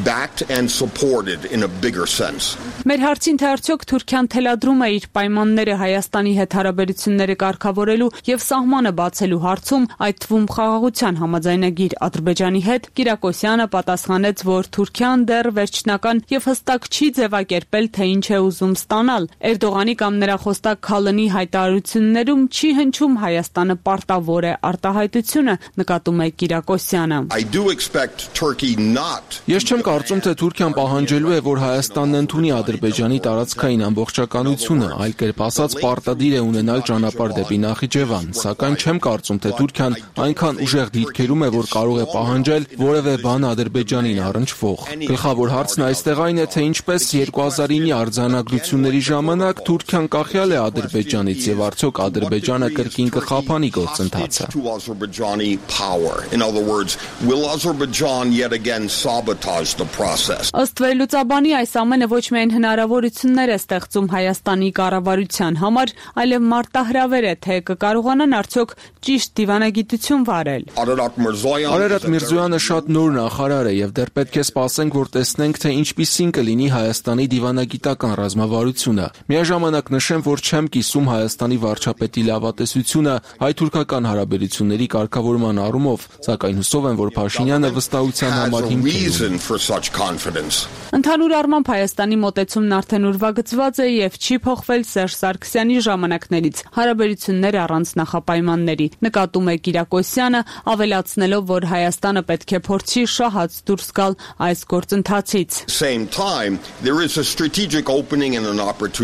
Speaker 18: backed and supported in a bigger sense.
Speaker 15: Մեր հարցին թե արդյոք Թուրքիան թելադրում է իր պայմանները Հայաստանի հետ հարաբերությունները կարգավորելու եւ սահմանը բացելու հարցում, այդ թվում խաղաղության համաձայնագիր Ադրբեջանի հետ, Կիրակոսյանը պատասխանեց, որ Թուրքիան դեռ վերջնական եւ հստակ չի ձևակերպել, թե ինչ է ուզում ստանալ։ Էրդողանի կամ նրա խոստակ Քալանի հայտարարություններում չի հնչում Հայաստանը պարտավոր է արտահայտությունը, նկատում է Կիրակոսյանը։
Speaker 17: Ես չեմ կարծում, թե Թուրքիան պահանջելու է, որ Հայաստանն ընդունի Ադրբեջանի տարածքային ամբողջականությունը, այլ կերպ ասած պարտադիր է ունենալ ճանապարհ դեպի Նախիջևան, սակայն չեմ կարծում, թե Թուրքիան այնքան ուժեղ դիրքերում է, որ կարող է պահանջել որևէ բան Ադրբեջանին առնչվող։ Գլխավոր հարցն այստեղ այն է, թե ինչպես 2009-ի արձանագրությունների ժամանակ Թուրքիան կախյալ է Ադրբեջանից եւ արդյոք Ադրբեջանը կրկին կխափանի գործընթացը։
Speaker 15: Ըստ վերլուծաբանի այս ամենը ոչ միայն հնարավորություններ է ստեղծում Հայաստանի կառավարության համար, այլև մարտահրավեր է, թե կկարողանան արդյոք ճիշտ դիվանագիտություն վարել։
Speaker 17: Արարատ Միրզոյանը շատ նոր նախարար է եւ դեռ պետք է սպասենք, որ տեսնենք, թե ինչպիսին կլինի Հայաստանի դիվանագիտական ռազմավարությունը։ Միաժամանակ նշեմ, որ չեմ կիսում Հայաստանի վարչապետի լավատեսությունը հայ-թուրքական հարաբերությունների կարգավորման առումով, սակայն հուսով եմ, որ Փաշինյանը վստահության համար հիմք է։
Speaker 15: Ընդհանուր առմամբ Հայաստանի մոտեցումն արդեն ուրվագծված է եւ չի փոխվել Սերժ Սարգսյանի ժամանակներից, հարաբերություններ առանց նախապայմանների, նկատում է Կիրակոսյանը, ավելացնելով, որ Հայաստանը պետք է փորձի շահած դուրս գալ այս գործընթացից։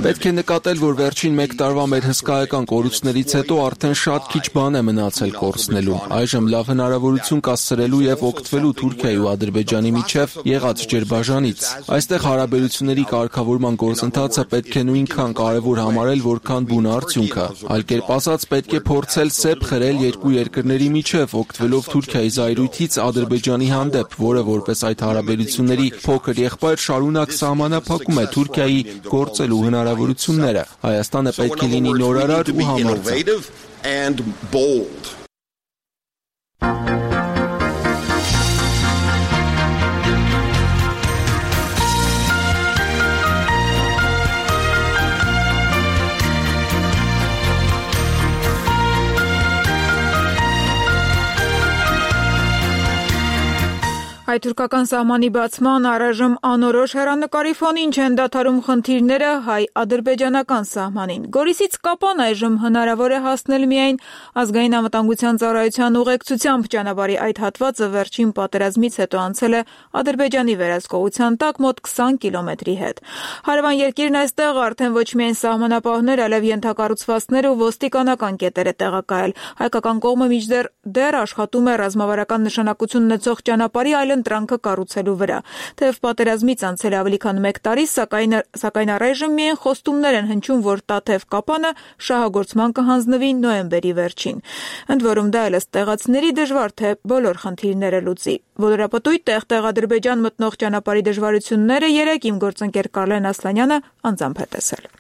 Speaker 17: Պետք է նկատել, որ վերջին 1 տարվա մեր հսկայական կորուստներից հետո արդեն շատ քիչ բան է մնացել կորցնելու։ Այժմ լավ հնարավորություն կա սրելու եւ օգտվելու Թուրքիայի ու Ադրբեջանի միջև եղած ջրբաժանից։ Այստեղ հարաբերությունների կարգավորման գործընթացը պետք է նույնքան կարևոր համարել, որքան բուն արդյունքը։ Այլ կերպ ասած, պետք է փորձել սեպ խրել երկու երկրների միջև, օգտվելով Թուրքիայի զայրույթից Ադրբեջանի հանդեպ, որը որպես այդ հարաբերությունների փոքր եղբայր շարունակ սահմանափակում է Թուրքիայի գործելու հնարավորությունները։ Հայաստանը պետք է լինի նորարար ու համարձակ։
Speaker 1: Հայ-թուրքական սահմանի բացման առայժմ անորոշ հեռանկարի ֆոնին չեն դադարում խնդիրները հայ-ադրբեջանական սահմանին։ Գորիսից Կապան այժմ հնարավոր է հասնել միայն ազգային անվտանգության ծառայության ուղեկցությամբ։ Ճանապարհի այդ հատվածը վերջին պատերազմից հետո անցել է Ադրբեջանի վերահսկողության տակ մոտ 20 կիլոմետրի հետ։ Հարևան երկիրն այստեղ արդեն ոչ միայն սահմանապահներ, այլև ենթակառուցվածքներ ու ոստիկանական կետեր է տեղակայել։ Հայկական կողմը մինչդեռ աշխատում է ռազմավարական նշանակություն ունեցող ճանապարհի այլընտրանքը կառուցելու վրա։ Թեև պատերազմից անցել է ավելի քան 1 տարի, սակայն առայժմ միայն խոստումներ են հնչում, որ Տաթև Կապանը շահագործման կհանձնվի նոյեմբերի վերջին։ Ընդ որում դա էլ ըստ տեղացիների դժվար թե բոլոր խնդիրները լուծի։ Ոլորապտույտ տեղ-տեղ Ադրբեջան մտնող ճանապարհի դժվարությունները երեկ իմ գործընկեր Կարլեն Ասլանյանը անձամբ է տեսել։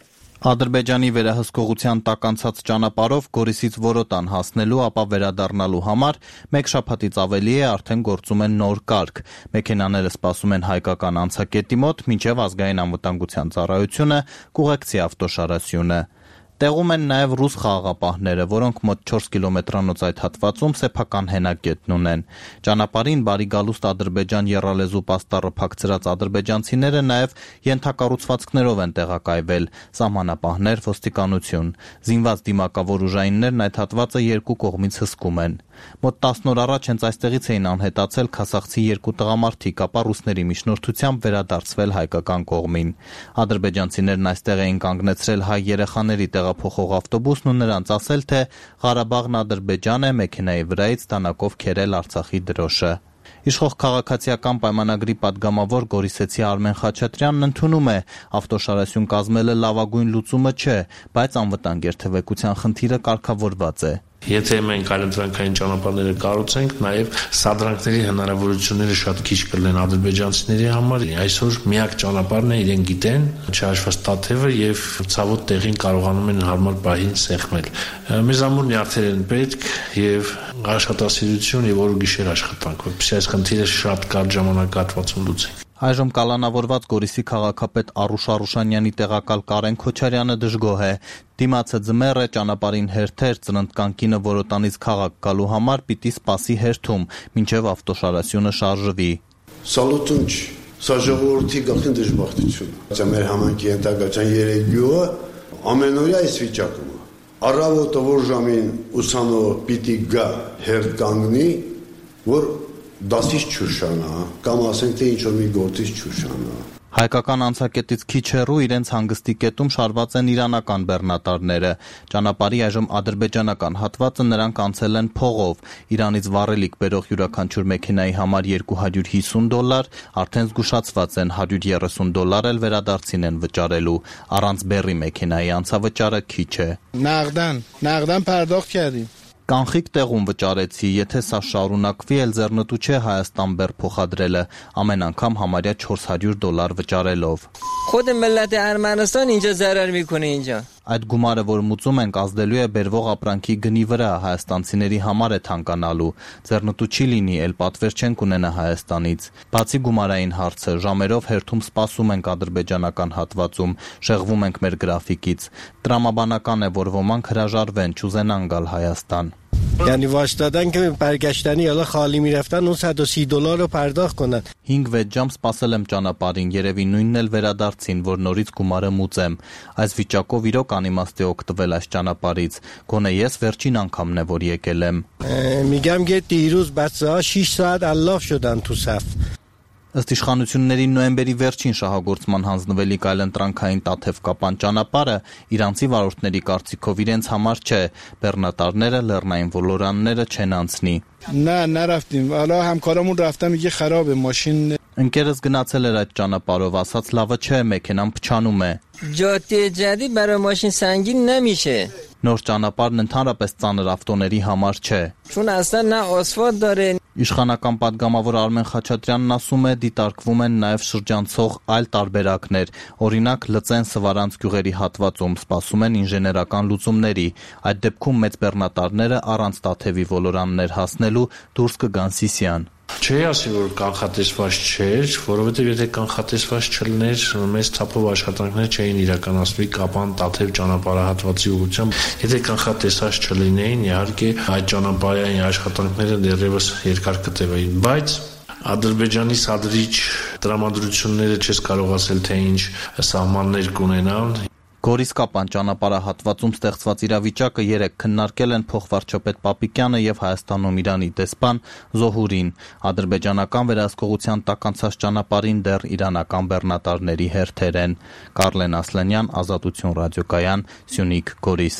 Speaker 19: Ադրբեջանի վերահսկողության տակ անցած ճանապարհով Գորիսից Որոտան հասնելու, ապա վերադառնալու համար 1 շաբաթից ավելի է արդեն գործում են նոր կարգ։ Մեքենաները սպասում են հայկական անցակետի մոտ, մինչև ազգային անվտանգության ծառայությունը կուղեկցի ավտոշարասյունը։ Տեղում են նաև ռուս խաղաղապահները, որոնք մոտ 4 կիլոմետրանոց այդ հատվածում սեփական հենակետն ունեն։ Ճանապարհին բարի գալուստ ադրբեջան եռալեզու պաստառը փակցրած ադրբեջանցիները նաև ենթակառուցվածքներով են տեղակայվել՝ սահմանապահներ, ոստիկանություն։ Զինված դիմակավոր ուժայիններն այդ հատվածը երկու կողմից հսկում են։ Մոտ 10 օր առաջ հենց այստեղից էին անհետացել քասախցի 2 տղամարդիկ, ապա ռուսների միջնորդությամբ վերադարձվել հայկական կողմին։ Ադրբեջանցիներն այստեղ էին կանգնեցրել հայ երեխաների տեղափոխող ավտոբուսն ու նրանց ասել, թե Ղարաբաղն Ադրբեջան է, մեքենայի վրայից տանակով քերել Արցախի դրոշը։ Իշխող քաղաքացիական պայմանագրի падգամավոր Գորիսեցի Արմեն Խաչատրյանն ընդունում է, ավտոշարասյուն կազմելը լավագույն լուծումը չէ, բայց անվտանգ երթևեկության խնդիրը կարգավորված է։
Speaker 20: Եթե մենք այլընտրանքային ճանապարհները կառուցենք, նաև սադրանքների հնարավորությունները շատ քիչ կլինեն ադրբեջանցիների համար։ Այսօր միակ ճանապարհն է, իրեն գիտեն, չհաշված Տաթևը եւ ցավոտ տեղին կարողանում են հարմար պահին սեղմել։ Մեզ ամուր նյարդեր են պետք եւ աշխատասիրություն եւ օր ու գիշեր աշխատանք, որպեսզի այս խնդիրը շատ կարճ ժամանակահատվածում լուծենք։
Speaker 19: Այժմ կալանավորված Գորիսի քաղաքապետ Արուշ Արուշանյանի տեղակալ Կարեն Քոչարյանը դժգոհ է։ Դիմացը ձմեռ է, ճանապարհին հերթեր, ծննդկան կինը որոտանից քաղաք գալու համար պիտի սպասի հերթում, մինչև ավտոշարասյունը շարժվի։
Speaker 9: Սալուտուն չի, սա ժողովրդի գլխին դժբախտություն։ Սա մեր համայնքի ենթակայության 3 գյուղը ամենօրյա այս վիճակում է։ Առավոտը որ ժամին ուսանո պիտի գա հերթ կանգնի, որ դասից չուշանա, կամ ասենք թե ինչ-որ մի գործից չուշանա։
Speaker 19: Հայկական անցակետից քիչ հեռու իրենց հանգստի կետում շարված են իրանական բեռնատարները։ Ճանապարհի այժմ ադրբեջանական հատվածը նրանք անցել են փողով։ Իրանից վառելիք բերող յուրաքանչյուր մեքենայի համար $250, արդեն զգուշացված են $130 էլ վերադարձին են վճարելու։ Առանց բեռի մեքենայի անցավճարը քիչ է։
Speaker 21: Նաղդան پرداخت کردیم։
Speaker 19: Կանխիկ տեղում վճարեցի, եթե սա շարունակվի, էլ ձեռնտու չէ Հայաստան բեռ փոխադրելը, ամեն անգամ համարյա $400 վճարելով։
Speaker 22: خود ملت ارمنستان اینجا ضرر میکنه اینجا։
Speaker 19: Այդ գումարը, որ մուծում ենք, ազդելու է բերվող ապրանքի գնի վրա, հայաստանցիների համար է թանկանալու։ Ձեռնտու չի լինի, էլ պատվեր չենք ունենա Հայաստանից։ Բացի գումարային հարցը, ժամերով հերթում սպասում ենք ադրբեջանական հատվածում, շեղվում ենք մեր գրաֆիկից։ Տրամաբանական է, որ ոմանք հրաժարվեն, չուզենան գալ Հայաստան։
Speaker 21: یعنی واسطادن که برگشتنی حالا خالی میرفتن اون $130 رو پرداخت کنن
Speaker 19: 5-6 ժամ սպասել եմ ճանապարհին, երևի նույնն էլ վերադարձին, որ նորից գումարը մուծեմ։ Այս վիճակով իրոք անիմաստ է օգտվել այս ճանապարհից։ Գոնե ես վերջին անգամն է, որ եկել եմ։
Speaker 21: میگم که دیروز بچه‌ها 6 ساعت الاف شدن تو صف
Speaker 19: Ըստ իշխանությունների նոյեմբերի վերջին շահագործման հանձնվելիք այլընտրանքային Տաթև-Կապան ճանապարհը իրանցի վարորդների կարծիքով իրենց համար չէ, բեռնատարները, լեռնային ոլորանները չեն անցնի։
Speaker 21: نه نرفتیم حالا همکارمون رفتن میگه خرابه ماشین
Speaker 19: Ընկերս գնացել էր այդ ճանապարհով, ասաց լավը չէ, մեքենան փչանում է։
Speaker 22: جاده جدید برای ماشین سنگین نمیشه
Speaker 19: Նոր ճանապարհն ընդհանրապես ծանր ավտոների համար չէ։
Speaker 22: چون اصلا نه آسفالت داره
Speaker 19: Իշխանական падգամավոր Արմեն Խաչատրյանն ասում է, դիտարկվում են նաև շրջանցող այլ տարբերակներ, օրինակ Լծեն Սվարանց գյուղերի հատվածում սպասում են ինժեներական լուծումների, այդ դեպքում մեծ բեռնատարները առանց Տաթևի ոլորաններ հասնելու դուրս կգան Սիսիան։
Speaker 20: Չի ասի, որ կանխատեսված չէր, որովհետև եթե կանխատեսված չլիներ, մեծ թափով աշխատանքներ չէին իրականացվի Կապան Տաթև ճանապարհահատվածի ուղղությամբ։ Եթե կանխատեսված չլինեին, իհարկե այդ ճանապարհային աշխատանքները դեռևս երկար կտևեին, բայց Ադրբեջանի սադրիչ տրամադրությունները չես կարող ասել, թե ինչ սահմաններ կունենան։
Speaker 19: Գորիս-Կապան ճանապարհահատվածում ստեղծված իրավիճակը երեկ քննարկել են փոխվարչապետ Պապիկյանը եւ Հայաստանում Իրանի դեսպան Զոհուրին։ Ադրբեջանական վերահսկողության տակ անցած ճանապարհին դեռ իրանական բեռնատարների հերթեր են։ Կարլեն Ասլանյան, Ազատություն ռադիոկայան, Սյունիք, Գորիս։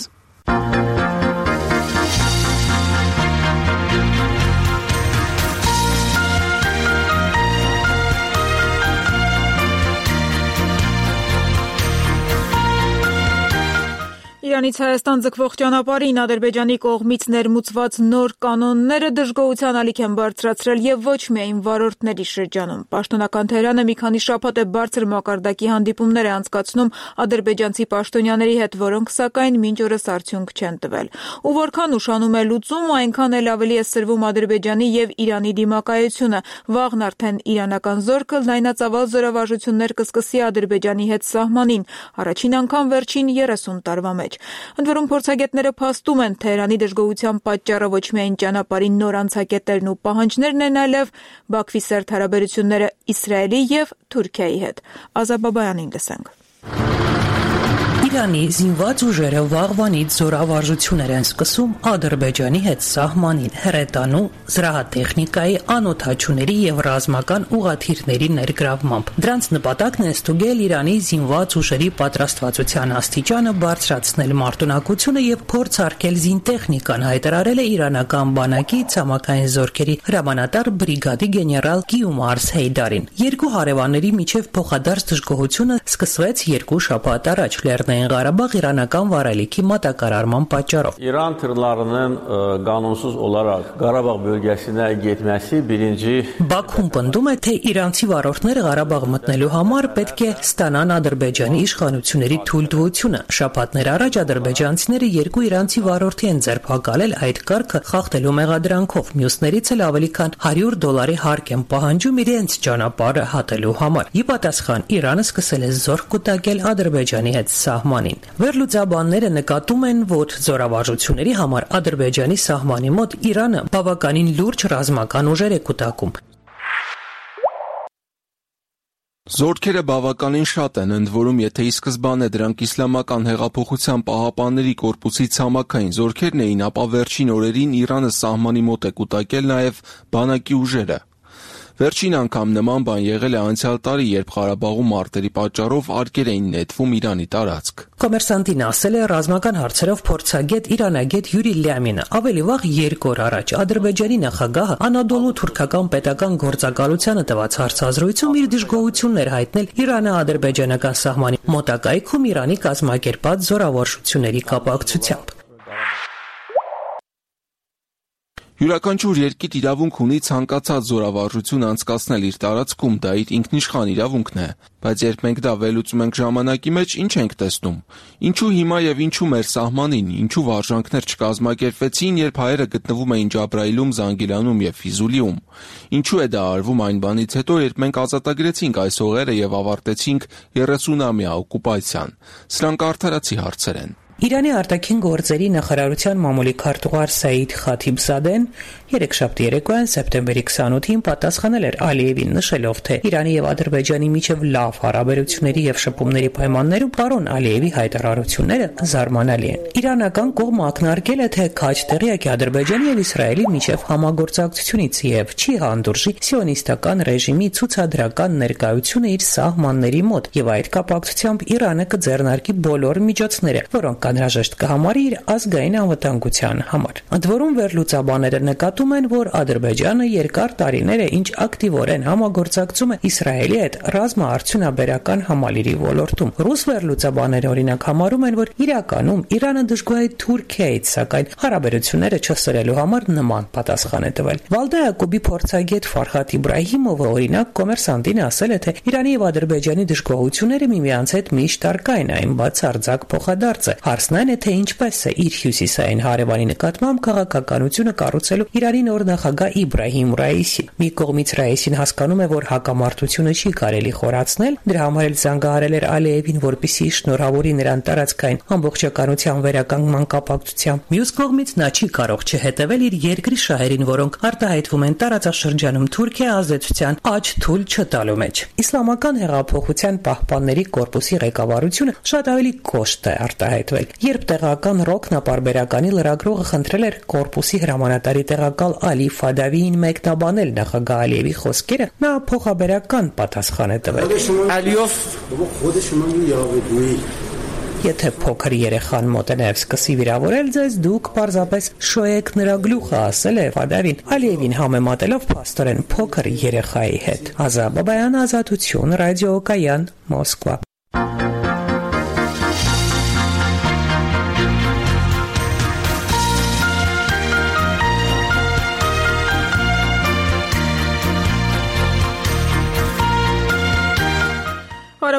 Speaker 1: Իրանից Հայաստան ձգվող ճանապարհին Ադրբեջանի կողմից ներմուծված նոր կանոնները դժգոհության ալիք են բարձրացրել եւ ոչ միայն վարորդների շրջանում։ Պաշտոնական Թեհրանը մի քանի շաբաթ է բարձր մակարդակի հանդիպումներ է անցկացնում ադրբեջանցի պաշտոնյաների հետ, որոնք սակայն մինչ օրս արդյունք չեն տվել։ Ու որքան ուշանում է լուծում, այնքան էլ ավելի է սրվում Ադրբեջանի եւ Իրանի դիմակայությունը։ Վաղն արդեն իրանական զորքը լայնածավալ զորավարժություններ կսկսի Ադրբեջանի հետ սահմանին, առաջին անգամ վերջին 30 տարվա մեջ։ Ընդ որում փորձագետները փաստում են, Թեհրանի դժգոհության պատճառը ոչ միայն ճանապարհի նոր անցակետերն ու պահանջներն են, այլև Բաքվի սերտ հարաբերությունները Իսրայելի եւ Թուրքիայի հետ։ Ազաբաբայանին լսենք։
Speaker 2: Իրանի զինված ուժերը վաղվանից զորավարժություններ են սկսում Ադրբեջանի հետ սահմանին, հրետանու, զրահատեխնիկայի, անօդաչուների եւ ռազմական ուղաթիռների ներգրավմամբ։ Դրանց նպատակն է ստուգել Իրանի զինված ուժերի պատրաստվածության աստիճանը, բարձրացնել մարտունակությունը եւ փորձարկել զինտեխնիկան, հայտարարել է իրանական բանակի ցամաքային զորքերի հրամանատար բրիգադի գեներալ Գիումարս Հեյդարին։ Երկու հարևանների միջև փոխադարձ դժգոհությունը սկսվեց 2 շաբաթ առաջ Լեռնային Ղարաբաղ իրանական վարելիքի մատակարարման պատճառով։
Speaker 3: İran tırlarının qanunsuz olaraq Qarabağ bölgəsinə getməsi birinci
Speaker 2: Բաքուն պնդում է, թե իրանցի վարորդները Ղարաբաղ մտնելու համար պետք է ստանան Ադրբեջանի իշխանությունների թույլտվությունը։ Շաբաթներ առաջ ադրբեջանցիները 2 իրանցի վարորդի են ձերբակալել այդ կարգը խախտելու մեղադրանքով։ Մյուսներից էլ ավելի քան $100 հարկ են պահանջում իրենց ճանապարհը հատելու համար։ Ի պատասխան Իրանը սկսել է զորք կուտակել Ադրբեջանի հետ սահմանին։ Վերլուծաբանները նկատում են, որ զորավարժությունների համար Ադրբեջանի սահմանի մոտ Իրանը բավականին լուրջ ռազմական ուժեր է կուտակում։
Speaker 17: Զորքերը բավականին շատ են, ընդ որում, եթե ի սկզբանե դրանք իսլամական հեղափոխության պահապանների կորպուսի ցամաքային զորքերն էին, ապա վերջին օրերին Իրանը սահմանի մոտ է կուտակել նաև բանակի ուժերը։ Վերջին անգամ նման բան եղել է անցյալ տարի, երբ Ղարաբաղում մարտերի պատճառով արկեր էին նետվում Իրանի տարածք։
Speaker 2: Կոմերսանտին ասել է ռազմական հարցերով փորձագետ իրանագետ Յուրի Լյամինը։ Ավելի վաղ 2 օր առաջ Ադրբեջանի նախագահը Անադոլու թուրքական պետական գործակալությանը տված հարցազրույցում իր դժգոհություններ հայտնել Իրանը-ադրբեջանական սահմանի մոտակայքում Իրանի կազմակերպած զորավարժությունների կապակցությամբ։
Speaker 17: Յուրաքանչյուր երկիր իրավունք ունի ցանկացած զորավարժություն անցկացնել իր տարածքում, դա իր ինքնիշխան իրավունքն է, բայց երբ մենք դա վերլուծում ենք ժամանակի մեջ, ինչ ենք տեսնում։ Ինչու հիմա եւ ինչու մեր սահմանին, ինչու վարժանքներ չկազմակերպվեցին, երբ հայերը գտնվում էին Ջաբրայիլում, Զանգիլանում եւ Ֆիզուլիում։ Ինչու է դա արվում այն բանից հետո, երբ մենք ազատագրեցինք այս հողերը եւ ավարտեցինք 30-ամյա օկուպացիան։ Սրանք արդարացի հարցեր են։
Speaker 2: Իրանի արտաքին գործերի նախարարության մամուլի քարտուղար Սաիդ Խաթիբզադեն երեքշաբթի երեկոյան սեպտեմբերի 28-ին պատասխանել էր Ալիևին, նշելով, թե Իրանի եւ Ադրբեջանի միջև լավ հարաբերությունների եւ շփումների պայմաններում պարոն Ալիևի հայտարարությունները զարմանալի են։ Իրանական կողմը ակնարկել է, թե քաջ տեղյակ է Ադրբեջանի եւ Իսրայելի միջև համագործակցությունից եւ չի հանդուրժի սիոնիստական ռեժիմի ցուցադրական ներկայությունը իր սահմանների մոտ եւ այդ կապակցությամբ Իրանը կձեռնարկի բոլոր միջոցները, որոնք անհրաժեշտ կհամարի իր ազգային անվտանգության համար։ Ընդ որում վերլուծաբանները նկատում են, որ Ադրբեջանը երկար տարիներ է ինչ ակտիվորեն համագործակցում է Իսրայելի հետ ռազմաարդյունաբերական համալիրի ոլորտում։ Ռուս վերլուծաբանները օրինակ համարում են, որ իրականում Իրանը դժգոհ է Թուրքիայից, սակայն հարաբերությունները չսրելու համար նման պատասխան է տվել։ Վալդա Յակոբի փորձագետ Ֆարհատ Իբրահիմովը օրինակ կոմերսանտին ասել է, թե Իրանի եւ Ադրբեջանի դժգոհությունները միմյանց հետ միշտ առկա են, այն բացարձակ փոխադարձ է։ Հարցն այն է, թե ինչպես է իր հյուսիսային հարևանի նկատմամբ քաղաքականությունը կառուցելու Իրանի նոր նախագահ Իբրահիմ Ռայիսին։ Մի կողմից Ռայիսին հասկանում է, որ հակամարտությունը չի կարելի խորացնել, դրա համար էլ զանգահարել էր Ալիևին, որպեսզի շնորհավորի նրան տարածքային ամբողջականության վերականգնման կապակցությամբ։ Մյուս կողմից նա չի կարող չհետևել իր երկրի շահերին, որոնք արտահայտվում են տարածաշրջանում Թուրքիա ազդեցության աջ թույլ չտալու մեջ։ Իսլամական հեղափոխության պահպանների կորպուսի ղեկավարությունը շատ ավելի կոշտ է արտահայտվել։ Երբ տեղական ռոքն ապարբերականի լրագրողը խնդրել էր կորպուսի հրամանատարի տեղակալ Ալի Ֆադավիին մեկնաբանել նախագահ Ալիևի խոսքերը, նա փոխաբերական պատասխան է տվել։ Եթե փոքր երեխան մոտենավ սկսի վիրավորել ձեզ, դուք պարզապես շոյեք նրա գլուխը, ասել է Ֆադավին, Ալիևին համեմատելով փաստորեն փոքր երեխայի հետ։ Ազաբաբայան, Ազատություն, Ռադիո Կայան, Մոսկվա։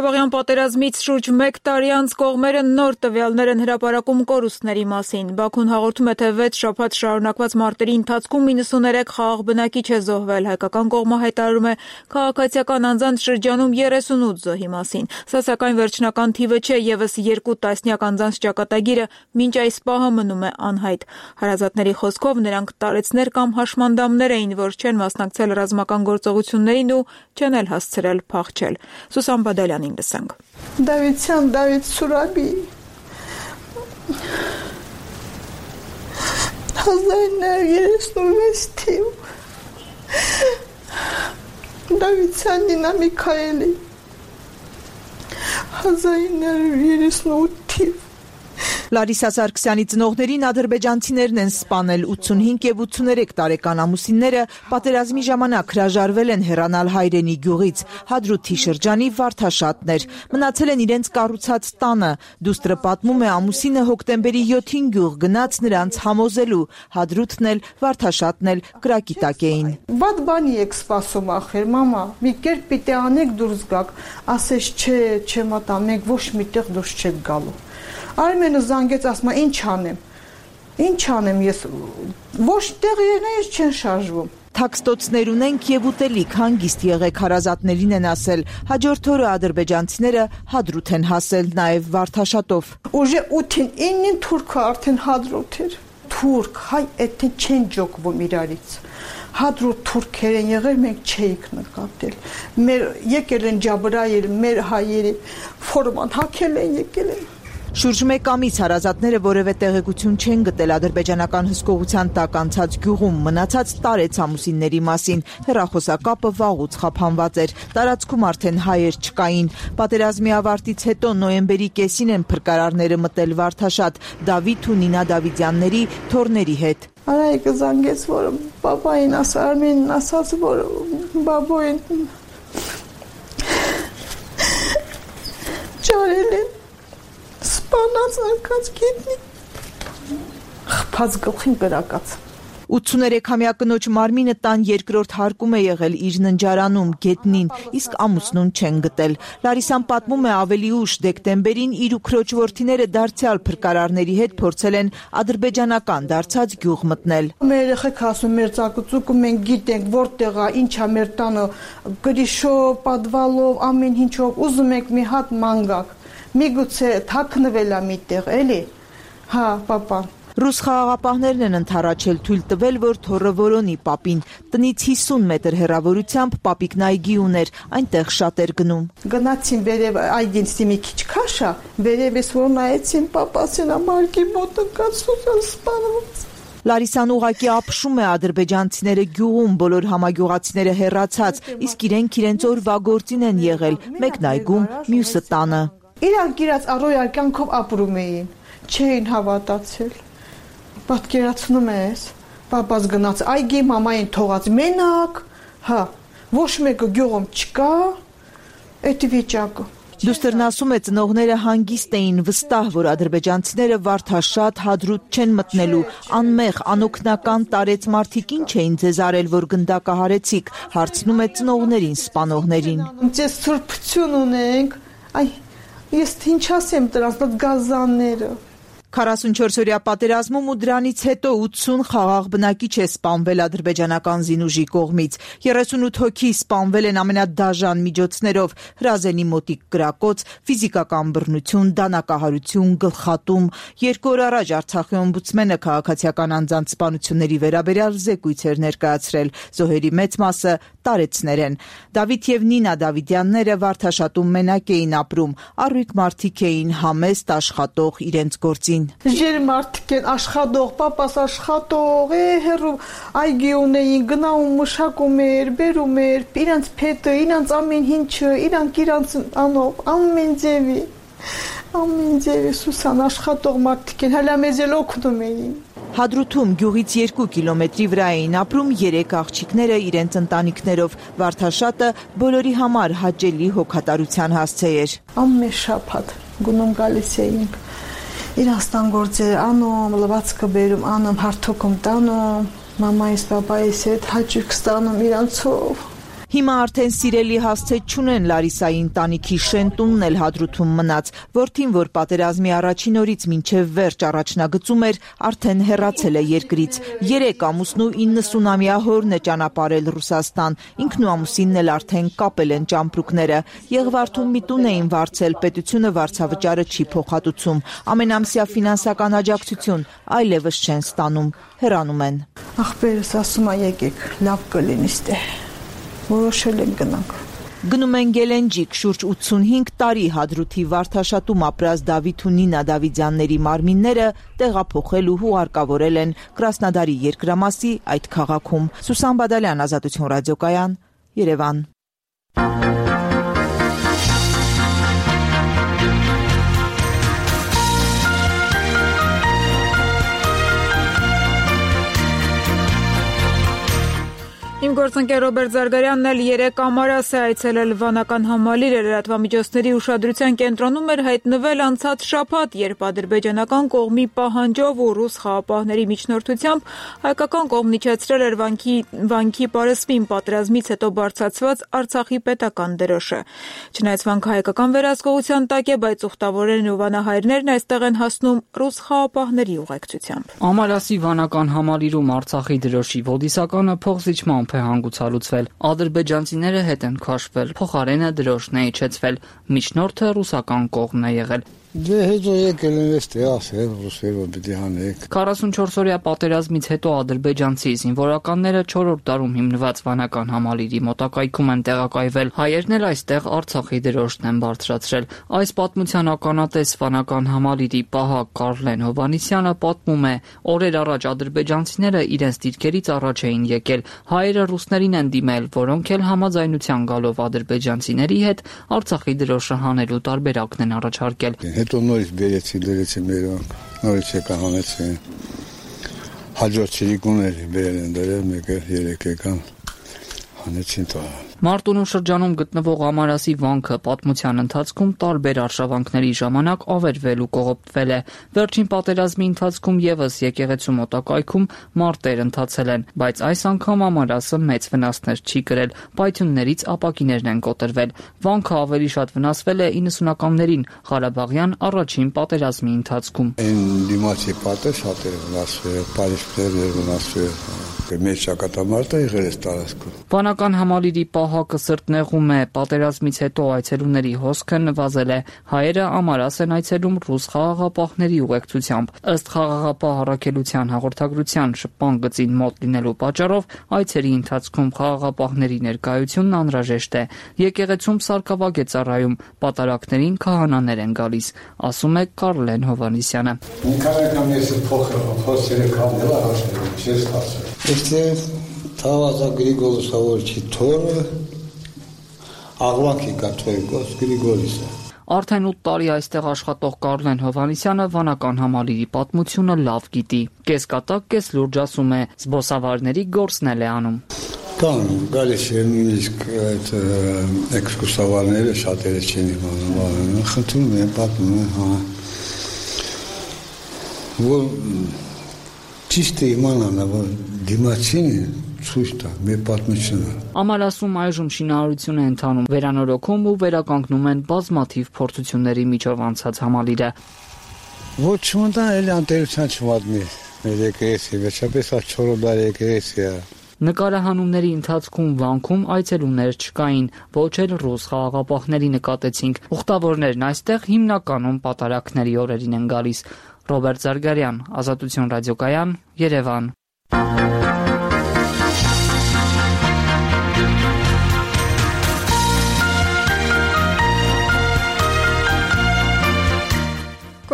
Speaker 1: Ղարաբաղյան պատերազմից շուրջ 1 տարի անց կողմերը նոր տվյալներ են հրապարակում կորուստների մասին։ Բաքուն հաղորդում է, թե 6 շաբաթ շարունակված մարտերի ընթացքում 93 խաղաղ բնակիչ է զոհվել։ Հայկական կողմը հայտարարում է քաղաքացիական անձանց շրջանում 38 զոհի մասին։ Սա սակայն վերջնական թիվը չէ, եւս 2 տասնյակ անձանց ճակատագիրը մինչ այս պահը մնում է անհայտ։ Հարազատների խոսքով նրանք տարեցներ կամ հաշմանդամներ էին, որ չեն մասնակցել ռազմական գործողություններին ու չեն էլ հասցրել փախչել։ Սուսան Բադալյանին լսենք։
Speaker 6: Դավիթյան Դավիթ Սուրաբի 1936 թիվ Դավիթյան Նինա Միքայելի 1938 թիվ
Speaker 7: Լարիսա Սարգսյանի ծնողներին ադրբեջանցիներն են սպանել 85 եւ 83 տարեկան ամուսինները պատերազմի ժամանակ հրաժարվել են հեռանալ հայրենի գյուղից Հադրութի շրջանի Վարդաշատներ մնացել են իրենց կառուցած տանը դուստրը պատմում է ամուսինը հոկտեմբերի 7-ին գյուղ գնաց նրանց համոզելու Հադրութն էլ Վարդաշատն էլ կրակի տակ էին
Speaker 6: Բադ բանի եք սպասում ախր մամա մի կերպ պիտի անեք դուրս գաք ասես չէ չեմ ատա մենք ոչ միտեղ դուրս չեք գալու Արմենը զանգեց ասում ինչ անեմ ես ոչ տեղերից չեն շարժվում
Speaker 7: Թաքստոցներ ունենք եւ ուտելիք հանգիստ եղեք հարազատներին են ասել հաջորդ օրը ադրբեջանցիները Հադրութ են հասել նաեւ Վարդաշատով
Speaker 6: Ուժե 8-ին 9-ին թուրքը արդեն Հադրութ էր թուրք հայ այդտեղ չեն ջոկվում իրարից Հադրութ թուրքեր են եղել մենք չէիք նկատել մեր եկել են Ջաբրայել մեր հայերի ֆորման հակել են եկել են
Speaker 7: Շուրջ 1 ամիս հարազատները որևէ տեղեկություն չեն գտել ադրբեջանական հսկողության տակ անցած գյուղում մնացած տարեց ամուսինների մասին հեռախոսակապը վաղուց խափանված էր տարածքում արդեն հայեր չկային պատերազմի ավարտից հետո նոյեմբերի կեսին են փրկարարները մտել Վարդաշատ Դավիթ ու Նինա Դավիթյանների թորների հետ
Speaker 6: Արայիկը զանգեց որ պապային ասա Արմենին ասաց որ բաբոին ճարել են Սպանած արկած գետնի խփած գլխին կրակած
Speaker 7: 83-ամյա կնոջ մարմինը տան երկրորդ հարկում է եղել իր ննջարանում գետնին իսկ ամուսնուն չեն գտել Լարիսան պատմում է ավելի ուշ դեկտեմբերին իր ու քրոջ որդիները դարձյալ փրկարարների հետ փորձել են ադրբեջանական դարձած գյուղ մտնել
Speaker 6: Մեր երեխեք ասում մեր ծակուցուկը մենք գիտենք որտեղ է ինչա մեր տանը գրիշով պատվալով ամեն ինչով ուզում եք մի հատ մանգակ Միգուցե թաքնվել է միտեղ, էլի։ Հա, պապան։
Speaker 7: Ռուս խաղաղապահներն են ընդառաջել թույլ տվել, որ թոռը որոնի պապին։ Տնից 50 մետր հեռավորությամբ պապիկն այգի ուներ, այնտեղ շատ էր գնում։
Speaker 6: Գնացին վերև այգին մի քիչ քաշա, վերևից որ նայեցին պապասին ամարգի մոտ ընկած սուսան սպանված։
Speaker 7: Լարիսան ուղակի ապշում է ադրբեջանցիները գյուղում, բոլոր համագյուղացիները հեռացած, իսկ իրենց օրվա գործին են եղել, մեկն այգում, մյուսը տանը։
Speaker 6: Իրանք իրաց առօրյա կյանքով ապրում էին, չէին հավատացել։ Պատկերացնում ես, պապաս գնաց այգի, մամային թողած մենակ, հա, ոչ մեկը գյուղում չկա, այդ վիճակը։
Speaker 7: Դուստերն ասում է ծնողները հանգիստ էին վստահ, որ ադրբեջանցիները Վարդաշատ Հադրութ չեն մտնելու, անմեղ, անօգնական տարեց մարդիկ ինչ էին ձեզ արել, որ գնդակահարեցիք, հարցնում է ծնողներին, սպանողներին։
Speaker 6: Ձեզ սուրբություն ունենք, այ Ես ինչ ասեմ դրանց գազանները
Speaker 7: 44-օրյա պատերազմում ու դրանից հետո 80 խաղաղ բնակիչ է սպանվել ադրբեջանական զինուժի կողմից 38 հոգի սպանվել են ամենադաժան միջոցներով հրազենի մոտիկ կրակոց, ֆիզիկական բռնություն, դանակահարություն, գլխատում 2 օր առաջ Արցախի օմբուդսմենը քաղաքացիական անձանց սպանությունների վերաբերյալ զեկույց էր ներկայացրել զոհերի մեծ մասը տարեցներ են Դավիթ եւ Նինա Դավիթյանները Վարդաշատում մենակ էին ապրում առույգ մարդիկ էին համեստ աշխատող իրենց գործին
Speaker 6: Ժեր մարդիկ են աշխատող, պապաս աշխատող, հերու այգի ունեին, գնաում մշակում էր, բերում էր, իրանց փետը, իրանց ամեն ինչը, իրանց անով, ամեն ձևի Սուսան աշխատող մարդիկ են, հələ մեզ էլ օգնում էին։
Speaker 7: Հադրութում գյուղից 2 կիլոմետրի վրա էին ապրում 3 աղջիկները իրենց ընտանիքներով։ Վարդաշատը բոլորի համար հաճելի հոգատարության հասցե էր։
Speaker 6: Ամեն շաբաթ գնում գալիս էինք։ Իրանց տան գործերը անում, լվացքը բերում, անում, հարթոքում տանում, մամայիս, պապայիս հետ հաճույք ստանում իրանցով։
Speaker 7: Հիմա արդեն սիրելի հասցե չունեն Լարիսայի ընտանիքի շենտունն էլ Հադրութում մնաց, որդին, որ պատերազմի առաջին օրից մինչև վերջ առաջնագծում էր, արդեն հեռացել է երկրից։ 3 ամուսնու 90-ամյա հորն է ճանապարհել Ռուսաստան, ինքն ու ամուսինն էլ արդեն կապել են ճամպրուկները։ Եղվարդում մի տուն էին վարձել, պետությունը վարձավճարը չի փոխհատուցում, ամենամսյա ֆինանսական աջակցություն այլևս չեն ստանում, հեռանում են։
Speaker 6: Ախպերս ասում է եկեք, լավ կլինի ստե։ Որոշել են գնանք։
Speaker 7: Գնում են Գելենջիկ, շուրջ 85 տարի Հադրութի Վարդաշատում ապրած Դավիթ ու Նինա Դավիթյանների մարմինները տեղափոխել ու հուղարկավորել են Կրասնոդարի երկրամասի այդ քաղաքում։ Սուսան Բադալյան, Ազատություն ռադիոկայան, Երևան։
Speaker 1: Իմ գործընկեր Ռոբերտ Զարգարյանն էլ 3 ամառաս է այցելել վանական Համալիր, լրատվամիջոցների ուշադրության կենտրոնում էր հայտնվել անցած շաբաթ, երբ ադրբեջանական կողմի պահանջով ու ռուս խաղապահների միջնորդությամբ հայկական կողմն իջեցրել էր վանքի պարսպին պատերազմից հետո բարձրացված Արցախի պետական դրոշը։ Չնայած վանքը հայկական վերահսկողության տակ է, բայց ուխտավորներն ու վանահայրներն այստեղ են հասնում ռուս խաղապահների ուղեկցությամբ։
Speaker 16: Ամալասի վանական Համալիրում Արցախի դրոշի ոդիսականը փոխզիջմամբ է հանգուցալուծվել։ Ադրբեջանցիները հետ են քաշվել, փոխարենը դրոշն է իջեցվել, միջնորդը ռուսական կողմն է եղել։
Speaker 4: Դե հետո եկել են էստե ասել ռուսերով պիտի հանեք։
Speaker 16: 44-օրյա պատերազմից հետո ադրբեջանցի զինվորականները 4-րդ դարում հիմնված վանական Համալիրի մոտակայքում են տեղակայվել։ Հայերն էլ այստեղ Արցախի դրոշն են բարձրացրել։ Այս պատմության ականատես վանական Համալիրի պահակ Կարլեն Հովանիսյանը պատմում է, օրեր առաջ ադրբեջանցիները իրենց դիրքերից առաջ էին եկել։ Հայերը ռուսներին են դիմել, որոնք էլ համաձայնության գալով ադրբեջանցիների հետ Արցախի դրոշը հանելու տարբերակն են առաջարկել։
Speaker 4: Հետո նորից բերեցի մերոնք, նորից եկա հանեցին, հաջորդ չիրիկուներ բերել են դրել, մեկը 3 եկան, հանեցին տա։
Speaker 16: Մարտունու շրջանում գտնվող Ամարասի վանքը պատմության ընթացքում տարբեր արշավանքների ժամանակ ավերվել ու կողոպտվել է։ Վերջին պատերազմի ընթացքում եւս եկեղեցու մոտակայքում մարտեր ընթացել են, բայց այս անգամ Ամարասը մեծ վնասներ չի կրել, պայթյուններից ապակիներն են կոտրվել։ Վանքը ավելի շատ վնասվել է 90-ականներին Ղարաբաղյան առաջին պատերազմի ընթացքում։
Speaker 4: Դիմացի պատը շատ է վնասվել, պարիսպներն վնասվել, մեծ ճակատամարտը եղել է տարածքում։
Speaker 16: Վանական Համալիրի պահակը սրտնեղում է, պատերազմից հետո այցելուների հոսքը նվազել է։ Հայերը Ամարաս են այցելում ռուս խաղաղապահների ուղեկցությամբ։ Ըստ խաղաղապահ առաքելության հաղորդագրության շփման գծին մոտ լինելու պատճառով այցերի ընթացքում խաղաղապահների ներկայությունն անհրաժեշտ է։ Եկեղեցում սարկավագ է ծառայում, պատարակներին քահանաներ են գալիս, ասում է Կարլեն Հովանիսյանը։
Speaker 4: Este Tavaza Grigoris Avorchi Tore Աղվանքի կաթողիկոս Գրիգորիսը։
Speaker 16: Արդեն 8 տարի այստեղ աշխատող Կարլեն Հովանիսյանը վանական Համալիրի պատմությունը լավ գիտի։ Կեսկատակ, կես լուրջ ասում է, զբոսավարների գործն էլ է անում։
Speaker 4: Կան, գալիս են նույնիսկ այդ էքսկուրսավարները շատերը չեն իմանում, խնդրում են, պատմում են, հա։ Որ ճիշտ է իմանալը, որ դիմացին ցույց տա մեր պատմությունը։
Speaker 16: Ամալասում այժմ շինարարություն է ընթանում, վերանորոգում ու վերականգնում են բազմաթիվ փորձությունների միջով անցած Համալիրը։
Speaker 4: Ոչ չմտան էլ անտերության չմատնի մեր եկեղեցի, վերջապես 4 տարի եկեղեցի է։
Speaker 16: Նկարահանումների ընթացքում վանքում այցելուներ չկային, ոչ էլ ռուս խաղաղապահների նկատեցինք։ Ուխտավորներն այստեղ հիմնականում պատարակների օրերին են գալիս։ Ռոբերտ Զարգարյան, Ազատություն ռադիոկայան, Երևան։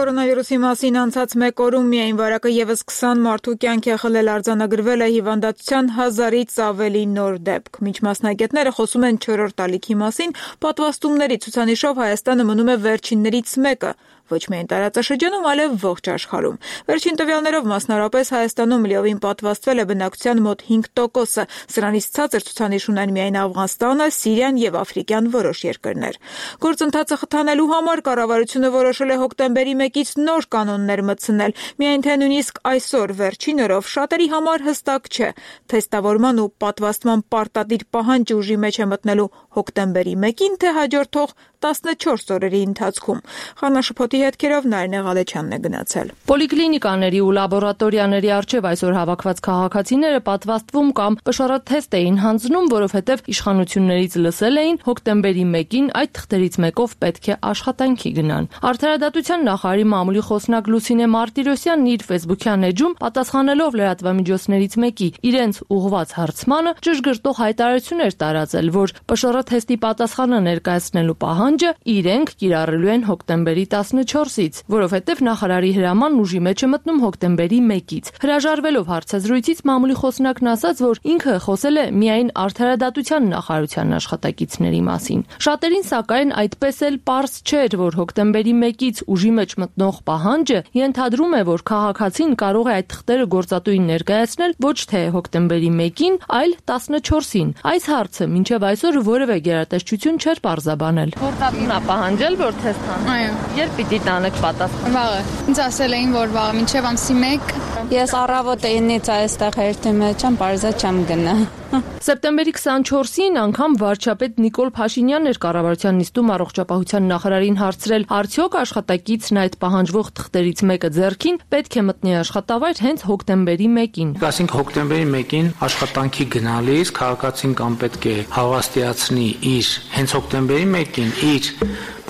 Speaker 1: Կորոնավիրուսի մասին անցած 1 օրում միայն վարակը եւս 20 մարդու կյանք է խլել, արձանագրվել է հիվանդացության 1000-ից ավելի նոր դեպք։ Մինչ մասնագետները խոսում են 4-րդ ալիքի մասին, պատվաստումների ցուցանիշով Հայաստանը մնում է վերջիններից մեկը։ ոչ միայն տարածաշրջանում, այլև ողջ աշխարհում։ Վերջին տվյալներով մասնարարպես Հայաստանում լիովին պատվաստվել է բնակչության մոտ 5%-ը, սրանից ցածր ցուցանիշ ունեն միայն Աֆղանստանը, Սիրիան եւ աֆրիկյան որոշ երկրներ։ Գործընթացը խթանելու համար կառավարությունը որոշել է հոկտեմբերի 1-ից նոր կանոններ մտցնել, միայն թե նույնիսկ այսօր վերջին օրով շատերի համար հստակ չէ, թեստավորման ու պատվաստման պարտադիր պահանջը ուժի մեջ է մտնելու հոկտեմբերի 1-ին, թե հաջորդող 14 օրերի ընթացքում։ Խանաշփոթի հետքերով Նարինե Ղալեչյանն է գնացել։
Speaker 12: Պոլիկլինիկաների ու լաբորատորիաների առջև այսօր հավաքված քաղաքացիները պատվաստվում կամ պշարաթեստ էին հանձնում, որովհետև իշխանություններից լսել էին հոկտեմբերի 1-ին այդ թղթերից մեկով պետք է աշխատանքի գնան։ Արդարադատության նախարարի մամուլի խոսնակ Լուսինե Մարտիրոսյանն իր ֆեյսբուքյան էջում պատասխանելով լրատվամիջոցներից մեկի իրենց ուղղված հարցմանը ճշգրտող հայտարարություն էր տարածել, որ պշարաթեստի պատասխանը ներկայացնելու պահանջը իրենք կիրառելու են հոկտեմբերի 14-ից, որովհետև նախարարի հրամանն ուժի մեջ է մտնում հոկտեմբերի 1-ից։ Հրաժարվելով հարցազրույցից մամուլի խոսնակն ասաց, որ ինքը խոսել է միայն արդարադատության նախարարության աշխատակիցների մասին։ Շատերին սակայն այդպես էլ պարզ չէր, որ հոկտեմբերի 1-ից ուժի մեջ մտնող պահանջը ենթադրում է, որ քաղաքացին կարող է այդ թղթերը գործատուին ներկայացնել ոչ թե հոկտեմբերի 1-ին, այլ 14-ին։ Այս հարցը մինչև այսօր որևէ գերատեսչություն չէր պարզաբանել։ Գործատունն է պահանջել, որ թեստ տան։ Այո։ Երբ պիտի տանեք պատասխան։ Վաղը։ Ինձ ասել էին, որ վաղը մինչև ամսի 1։
Speaker 5: Ես առավոտ այնից այստեղ հերթի մեջ եմ, պարզա չեմ գնա։
Speaker 12: Սեպտեմբերի 24-ին անգամ վարչապետ Նիկոլ Փաշինյանն էր կառավարության նիստում առողջապահության նախարարին հարցրել, արդյոք աշխատակիցն այդ պահանջվող թղթերից մեկը ձեռքին պետք է մտնի աշխատավայր հենց հոկտեմբերի 1-ին։
Speaker 10: Ասենք հոկտեմբերի 1-ին աշխատանքի գնալիս քաղաքացին կամ պետք է հավաստիացնի իր հենց հոկտեմբերի 1-ին իր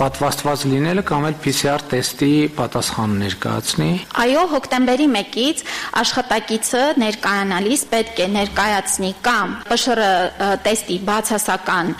Speaker 10: պատվաստված լինելը կամ էլ PCR տեստի պատասխան ներկայացնի։
Speaker 5: Այո, հոկտեմբերի 1-ից աշխատակիցը ներկայանալիս պետք է ներկայացնի կամ ՊՇՌ տեստի բացասական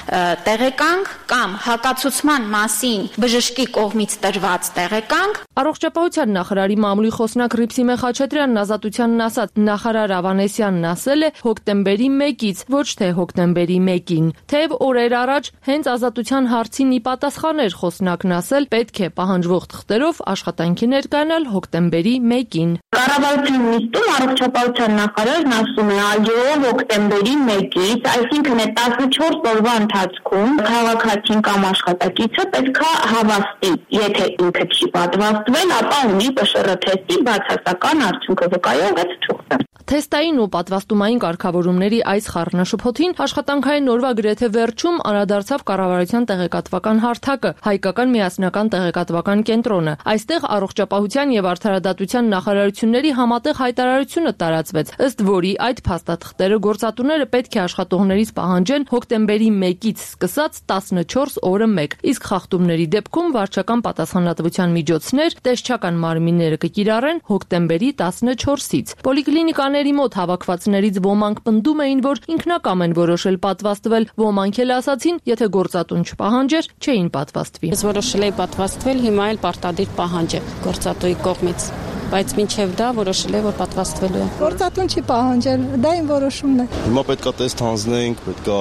Speaker 5: տեղեկանք կամ հակացուցման մասին բժշկի կողմից տրված տեղեկանք։
Speaker 12: Առողջապահության նախարարի մամուլի խոսնակ Ռիփսիմե Խաչատրյանն Ազատությանն ասաց, նախարար Ավանեսյանն ասել է հոկտեմբերի 1-ից, ոչ թե հոկտեմբերի 1-ին։ Թեև օրեր առաջ հենց Ազատության հարցին ի պատասխան էր խոսնակն ասել, պետք է պահանջվող թղթերով աշխատանքի ներկայանալ հոկտեմբերի 1-ին։
Speaker 5: Կառավարության նիստում առողջապահության նախարարն ասում է, այո, հոկտեմբերի 1-ից, այսինքն է 14 օրվա ընթացքում քաղաքացին կամ աշխատակիցը պետք է հավաստի, եթե ինքը չի պատվաստվել, ապա ունի ՊՇՌ թեստի բացասական արդյունքը վկայող այդ թուղթը։
Speaker 12: Թեստային ու պատվաստումային կարգավորումների այս խառնաշփոթին աշխատանքային օրվա գրեթե վերջում անդրադարձավ կառավարության տեղեկատվական հարթակը, հայկական միասնական տեղեկատվական կենտրոնը։ Այստեղ առողջապահության եւ արդարադատության նախարարությունների համատեղ հայտարարությունը տարածվեց, ըստ որի այդ փաստաթղթերը գործատուները պետք է աշխատողներից պահանջեն հոկտեմբերի 1-ից սկսած 14 օրը 1, իսկ խախտումների դեպքում վարչական պատասխանատվության միջոցներ տեսչական մարմինները կկիրառեն հոկտեմբերի 14-ից։ Պոլիկլինիկաների մոտ հավաքվածներից ոմանք պնդում էին, որ ինքնակամ են որոշել պատվաստվել, ոմանք էլ ասացին, եթե գործատուն չպահանջեր, չէին պատվաստվի։
Speaker 5: Ես որոշել էի պատվաստվել, հիմա էլ պարտադիր պահանջ է գործատուի կողմից, բայց մինչև դա որոշել է, որ պատվաստվելու է։
Speaker 11: Գործատուն չի պահանջել, դա իմ որոշումն է։
Speaker 23: Հիմա պետքա տեստ հանձնենք, պետքա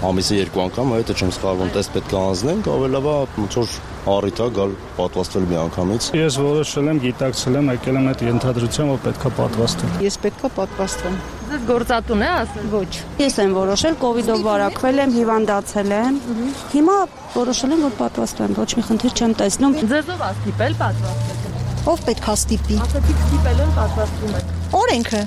Speaker 23: ամիսը 2 անգամ, եթե չեմ սխալվում, տեստ պետքա հանձնենք, ավելավա ոնց որ առիթ է գալ պատվաստվել մի անգամից։
Speaker 24: Ես որոշել եմ, գիտակցել եմ, եկել եմ այդ ենթադրությամբ, որ պետքա պատվաստվեմ։
Speaker 5: Ես պետքա պատվաստվեմ։
Speaker 12: Ձեզ գործատուն է ասել։
Speaker 5: Ոչ։ Ես եմ որոշել, կոവിഡ്ով վարակվել եմ, հիվանդացել եմ։ Հիմա որոշել եմ, որ պատվաստվեմ, ոչ մի խնդիր չեմ տեսնում։
Speaker 12: Ձեզ ով աստիպել պատվաստվել։
Speaker 11: Ով պետքա ստիպի։
Speaker 12: Ասացիք ստիպել են պատվաստվում եք։
Speaker 11: Օրենքը։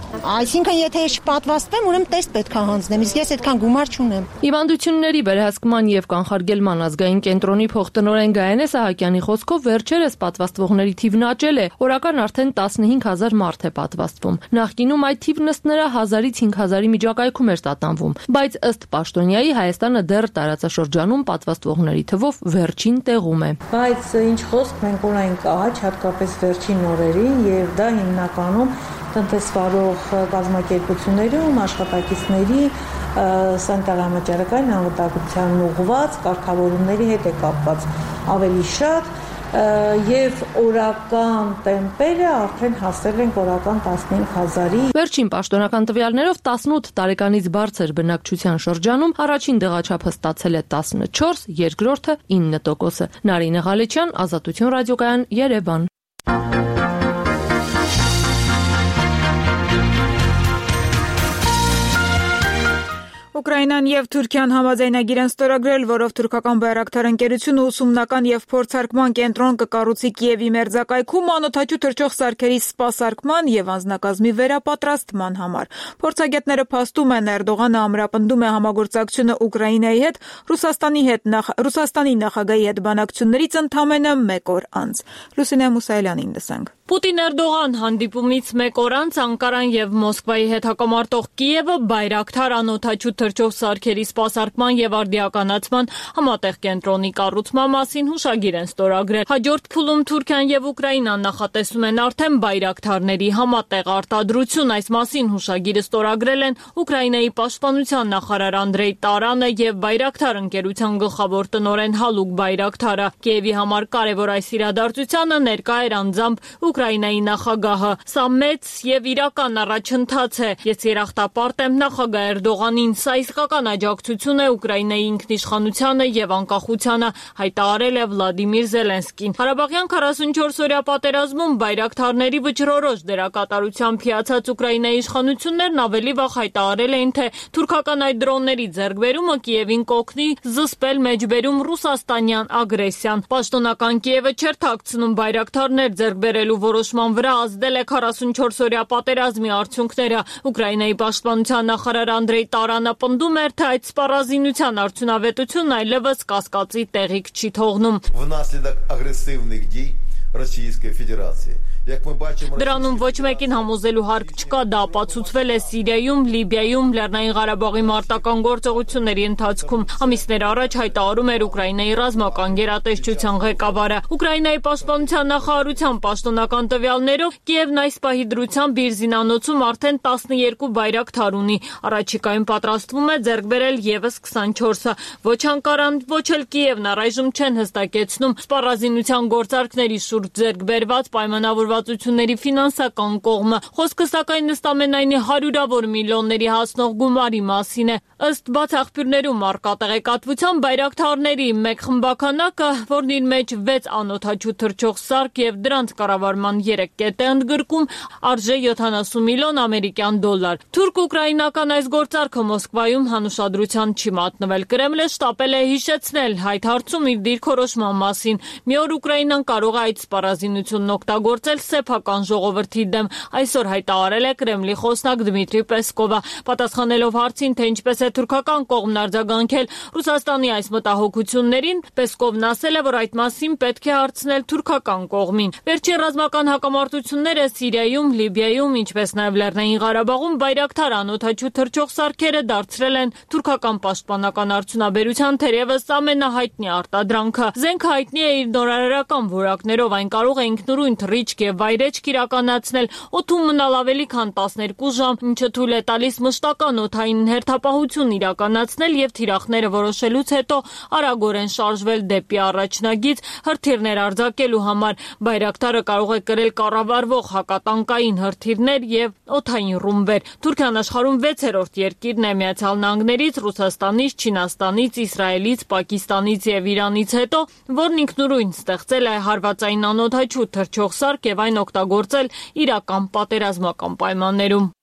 Speaker 11: Այսինքն եթե ես չպատվաստվեմ, ուրեմն տեստ պետքա հանձնեմ, իսկ ես այդքան գումար չունեմ։
Speaker 12: Հիվանդությունների վերահսկման եւ կանխարգելման ազգային կենտրոնի փոխտնօրեն Գայանե Սահակյանի խոսքով վերջերս պատվաստվողների թիվն աճել է, օրական արդեն 15000 մարդ է պատվաստվում։ Նախկինում այդ թիվն ըստ նրա 1000-ից 5000-ի միջակայքում էր տատանվում, բայց ըստ պաշտոնյայի Հայաստանը դեռ տարածաշրջանում պատվաստվողների թվով վերջին տեղում է։
Speaker 25: Բայց ինչ խոսք, մենք ունենք աճ, հատկապես վերջին օրերին, եւ դա հիմնականում տնտեսվարող կազմակերպություններում աշխատակիցների սանիտարամաճարակային անվտանգության ուղղված կարգավորումների հետ է կապված ավելի շատ եւ օրական տեմպերը արդեն հասել են օրական 15000-ի։
Speaker 12: Վերջին պաշտոնական տվյալներով 18 տարեկանից բարձր բնակչության շրջանում առաջին դեղաչափը ստացել է 14, երկրորդը 9%։ Նարինե Ղալեչյան, Ազատություն ռադիոկայան, Երևան։
Speaker 1: Ուկրաինան եւ Թուրքիան համաձայնագիր են ստորագրել, որով թուրքական բայրակթար ընկերությունը ուսումնական եւ փորձարկման կենտրոն կկառուցի Կիևի մերձակայքում անօդաչու թռչող սարքերի սպասարկման եւ անձնակազմի վերապատրաստման համար։ Փորձագետները փաստում են, Էրդողանը ամրապնդում է համագործակցությունը Ուկրաինայի հետ, Ռուսաստանի նախագահի հետ բանակցություններից ընդամենը 1 օր անց։ Լուսինե Մուսայելյանին լսենք։
Speaker 12: Պուտին-Էրդողան հանդիպումից 1 օր անց Անկարան եւ Մոսկվայի հետ հակամարտող Կիևը բայրակթար անօդաչու թռչող սարքերի սպասարկման եւ արդիականացման համատեղ կենտրոնի կառուցման մասին հուշագիր են ստորագրել։ Հաջորդ փուլում Թուրքիան եւ Ուկրաինան նախատեսում են արդեն բայրակթարների համատեղ արտադրություն։ Այս մասին հուշագիրը ստորագրել են Ուկրաինայի պաշտպանության նախարար Անդրեյ Տարանը եւ բայրակթար ընկերության գլխավոր տնօրեն Հալուկ Բայրակթարը։ Կիևի համար կարևոր այս իրադարձությանը ներկա էր անձամբ Ուկրաինայի նախագահը։ Սա մեծ եւ իրական առաջընթաց է։ Ես երախտապարտ եմ նախագահ Էրդողանին։ Սա իսկական աջակցություն է Ուկրաինայի ինքնիշխանությանը եւ անկախությանը, հայտարարել է Վլադիմիր Զելենսկին։ Ղարաբաղյան 44-օրյա պատերազմում բայրակթարների վճռորոշ դերակատարությամբ հիացած Ուկրաինայի իշխանություններն ավելի վաղ հայտարարել էին, թե թուրքական այդ դրոնների ձեռքբերումը Կիևին կօգնի զսպել մեջբերում ռուսաստանյան ագրեսիան։ Պաշտոնական Կիևը չէր թաքցնում բայրակթարներ ձեռքբերելու որոշման վրա ազդել է 44-օրյա պատերազմի արդյունքները։ Ուկրաինայի պաշտպանության նախարար Անդրեյ Տարանը պնդում էր, թե այդ սպառազինության արդյունավետությունն այլևս կասկածի տեղիք չի թողնում։
Speaker 8: Внаслідок агресивних дій Російської Федерації.
Speaker 12: Դրանում ոչ մեկին համոզելու հարկ չկա, դա ապացուցվել է Սիրիայում, Լիբիայում, Լեռնային Ղարաբաղի մարտական գործողությունների ընթացքում։ Ամիսներ առաջ հայտարարում էր Ուկրաինայի ռազմական գերատեսչության ղեկավարը։ Ուկրաինայի պաշտպանության նախարարության պաշտոնական տվյալներով Կիևն այս պահի դրությամբ իր զինանոցում արդեն 12 բայրակթար ունի։ Առաջիկայում պատրաստվում է ձեռք բերել եւս 24-ը։ Ոչ Անկարան, ոչ էլ Կիևն առայժմ չեն հստակեցնում սպառազինության գործարքների շուրջ ձեռք բերված պայմանավորված ֆինանսական կողմը։ Խոսքը սակայն ըստամենայնի հարյուրավոր միլիոնների հասնող գումարի մասին է։ Ըստ բաց աղբյուրներում առկա տեղեկատվության բայրակթարների մեկ խմբականակը, որն իր մեջ 6 անօդաչու թռչող սարք եւ դրանց կառավարման 3 կետ է ընդգրկում, արժե 70 միլիոն ամերիկյան դոլար։ Թուրք-ուկրաինական այս գործարքը Մոսկվայում հանուշադրության չի մատնվել։ Կրեմլը շտապել է հիշեցնել այդ հարցում իր դիրքորոշման մասին։ Մի օր Ուկրաինան կարող է այդ սպառազինությունն օգտագործել սեփական ժողովրդի դեմ, այսօր հայտարարել է Կրեմլի խոսնակ Դմիտրի Պեսկովը։ Պատասխանելով հարցին, թե ինչպես է թուրքական կողմն արձագանքել Ռուսաստանի այս մտահոգություններին, Պեսկովն ասել է, որ այդ մասին պետք է հարցնել թուրքական կողմին։ Վերջին ռազմական հակամարտությունները Սիրիայում, Լիբիայում, ինչպես նաև Լեռնային Ղարաբաղում բայրակթար անօդաչու թռչող սարքերը դարձրել են թուրքական պաշտպանական արդյունաբերության թերևս ամենահայտնի արտադրանքը։ Զենքը հայտնի է իր նորարարական որակներով, այն կարող է ինքնուրույն թռիչք եւ վայրեջք իրականացնել, օդում մնալ ավելի քան 12 ժամ, ինչը թույլ է տալիս մշտական օդային հերթապահություն իրականացնել եւ թիրախները որոշելուց հետո արագորեն շարժվել դեպի առաջնագիծ հրթիռներ արձակելու համար։ Բայրակթարը կարող է կրել կառավարվող հակատանկային հրթիռներ եւ օդային ռումբեր։ Թուրքիան աշխարհում 6-րդ երկիրն է Միացյալ Նահանգներից, Ռուսաստանից, Չինաստանից, Իսրայելից, Պակիստանից եւ Իրանից հետո, որն ինքնուրույն ստեղծել է հարվածային անօդաչու թռչող սարք եւ այն օգտագործել իրական պատերազմական պայմաններում։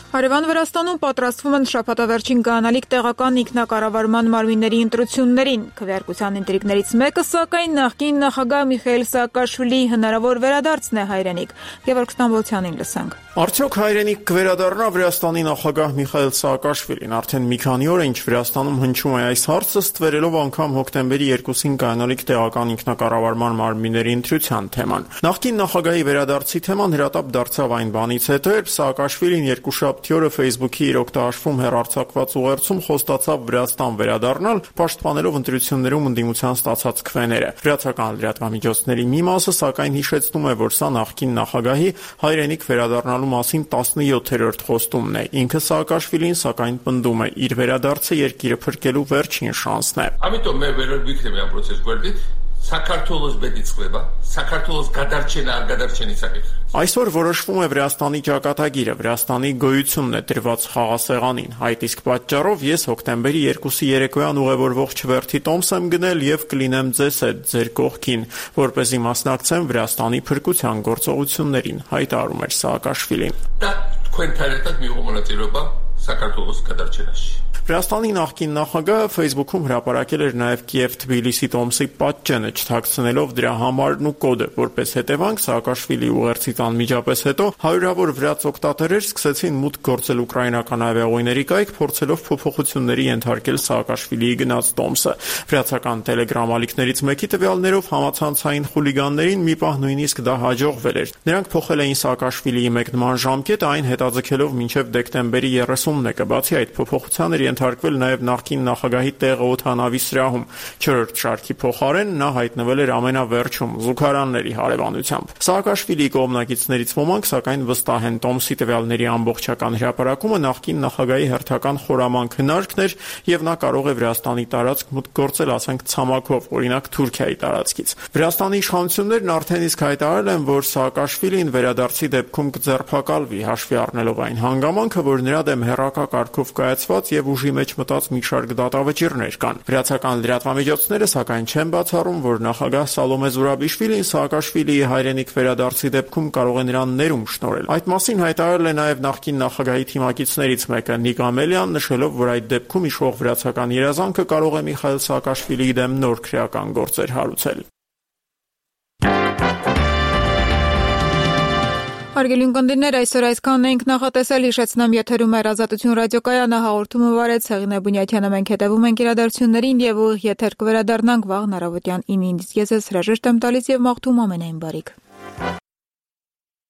Speaker 1: Հարևան Վրաստանում պատրաստվում են շաբաթավերջին գանալիք տեղական ինքնակառավարման մարմինների ընտրություններին։ Քվեարկության ինտրիգներից մեկը, սակայն, նախկին նախագահ Միխայիլ Սաակաշվիլիի հնարավոր վերադարձն է հայրենիք։ Գևորգ Ստամբոլցյանին լսենք։
Speaker 13: Արդյոք հայրենիք կվերադառնա Վրաստանի նախագահ Միխայիլ Սաակաշվիլին։ Արդեն մի քանի օր է, ինչ Վրաստանում հնչում է այս հարցը, ստվերելով անգամ հոկտեմբերի 2-ին գանալիք տեղական ինքնակառավարման մարմինների ընտրության թեման։ Նախկին նախագահի վերադարձի թեման հրատապ դարձավ այն բանից հետո, երբ Սաակաշվիլին երկուշաբթի օրը Facebook-ի իր օգտահաշվում հեռարձակված ուղերձում խոստացավ Վրաստան վերադառնալ, պաշտպանելով ընտրություններում ընդդիմության ստացած քվեները։ Վրացական լրատվամիջոցների մի մասը սակայն հիշեցնում է, որ սա նախկին նախագահի հայրենիք վերադառնալու մասին 17-րդ խոստումն է։ Ինքը Սաակաշվիլին սակայն պնդում է, իր վերադարձը երկիրը փրկելու վերջին շանսն է։
Speaker 14: Ამიტომ მე ვერ ვიქნები ამ პროცესს გვერდით.
Speaker 9: საქართველოს բედիցլება, საქართველოს გადარჩენა არ გადარჩენის საკითხი.
Speaker 13: Այսօր որոշվում է Վրաստանի ճակատագիրը, Վրաստանի գոյությունն է դրված խաղասեղանին։ Այդ իսկ պատճառով ես հոկտեմբերի 2-ի երեկոյան ուղևորվող չվերթի տոմս եմ գնել եւ կլինեմ ձեզ հետ ձեր կողքին, որպեսզի մասնակցեմ Վրաստանի փրկության գործողություններին, հայտարարում էր Սաակաշվիլին։
Speaker 9: Դա თქვენ թերեթად միողմոնատիրობა საქართველოს გადარჩენაში։
Speaker 13: Վրաստանի նախկին նախագահը Facebook-ում հրապարակել էր նաև Կիև-Թբիլիսի տոմսի պատճենը չթաքցնելով դրա համարն ու կոդը, որպես հետևանք Սաակաշվիլիի ուղերձից անմիջապես հետո հարյուրավոր վրաց օգտատերեր սկսեցին մուտք գործել ուկրաինական ավիաուղիների կայք, փորձելով փոփոխությունների ենթարկել Սաակաշվիլիի գնած տոմսը։ Վրացական Telegram ալիքներից մեկի տվյալներով համացանցային խուլիգաններին մի պահ նույնիսկ դա հաջողվել էր։ Նրանք փոխել էին Սաակաշվիլիի մեկնման ժամկետը, այն հետաձգելով մինչև դեկտեմբերի 30-ը։ Բացի այդ փոփոխության էր ենթարկվել նաև նախկին նախագահի տեղը օդանավի սրահում։ 4-րդ շարքի փոխարեն նա հայտնվել էր ամենավերջում զուգարանների հարևանությամբ։ Սաակաշվիլիի կողմնակիցներից ոմանք սակայն վստահ են տոմսի տվյալների ամբողջական հրապարակումը նախկին նախագահի հերթական խորամանկ հնարքն էր եւ նա կարող է Վրաստանի տարածք մուտք գործել, ասենք ցամաքով, օրինակ Թուրքիայի տարածքից։ Վրաստանի իշխանություններն արդեն իսկ հայտարարել են, որ Սաակաշվիլին վերադարձի դեպքում կձերբակալվի, հաշվի առնելով այն հանգամանքը, որ նրա դեմ հերրակակարգով կայացված եւ ուժի մեջ մտած մի շարք դատավճիռներ կան։ Վրացական լրատվամիջոցները սակայն չեն բացառում, որ նախագահ Սալոմե Զուրաբիշվիլին Սաակաշվիլիի հայրենիք վերադարձի դեպքում կարող է նրան ներում շնորհել։ Այդ մասին հայտարարել է նաև նախկին նախագահի թիմակիցներից մեկը Նիկ Ամելյան, նշելով, որ այդ դեպքում իշխող վրացական երազանքը կարող է Միխայել Սաակաշվիլիի դեմ նոր քրեական գործեր հարուցել։
Speaker 1: Հարգելի ունկնդիրներ, այսօր այսքանն էինք նախատեսել, հիշեցնեմ եթերում էր Ազատություն ռադիոկայանը, հաղորդումը վարեց Հեղինե Բունյաթյանը, մենք հետևում ենք իրադարձություններին եւ ուղիղ եթեր կվերադառնանք վաղ առավոտյան 9-ից։ Ես հրաժեշտ եմ տալիս եւ մաղթում ամենայն բարիք։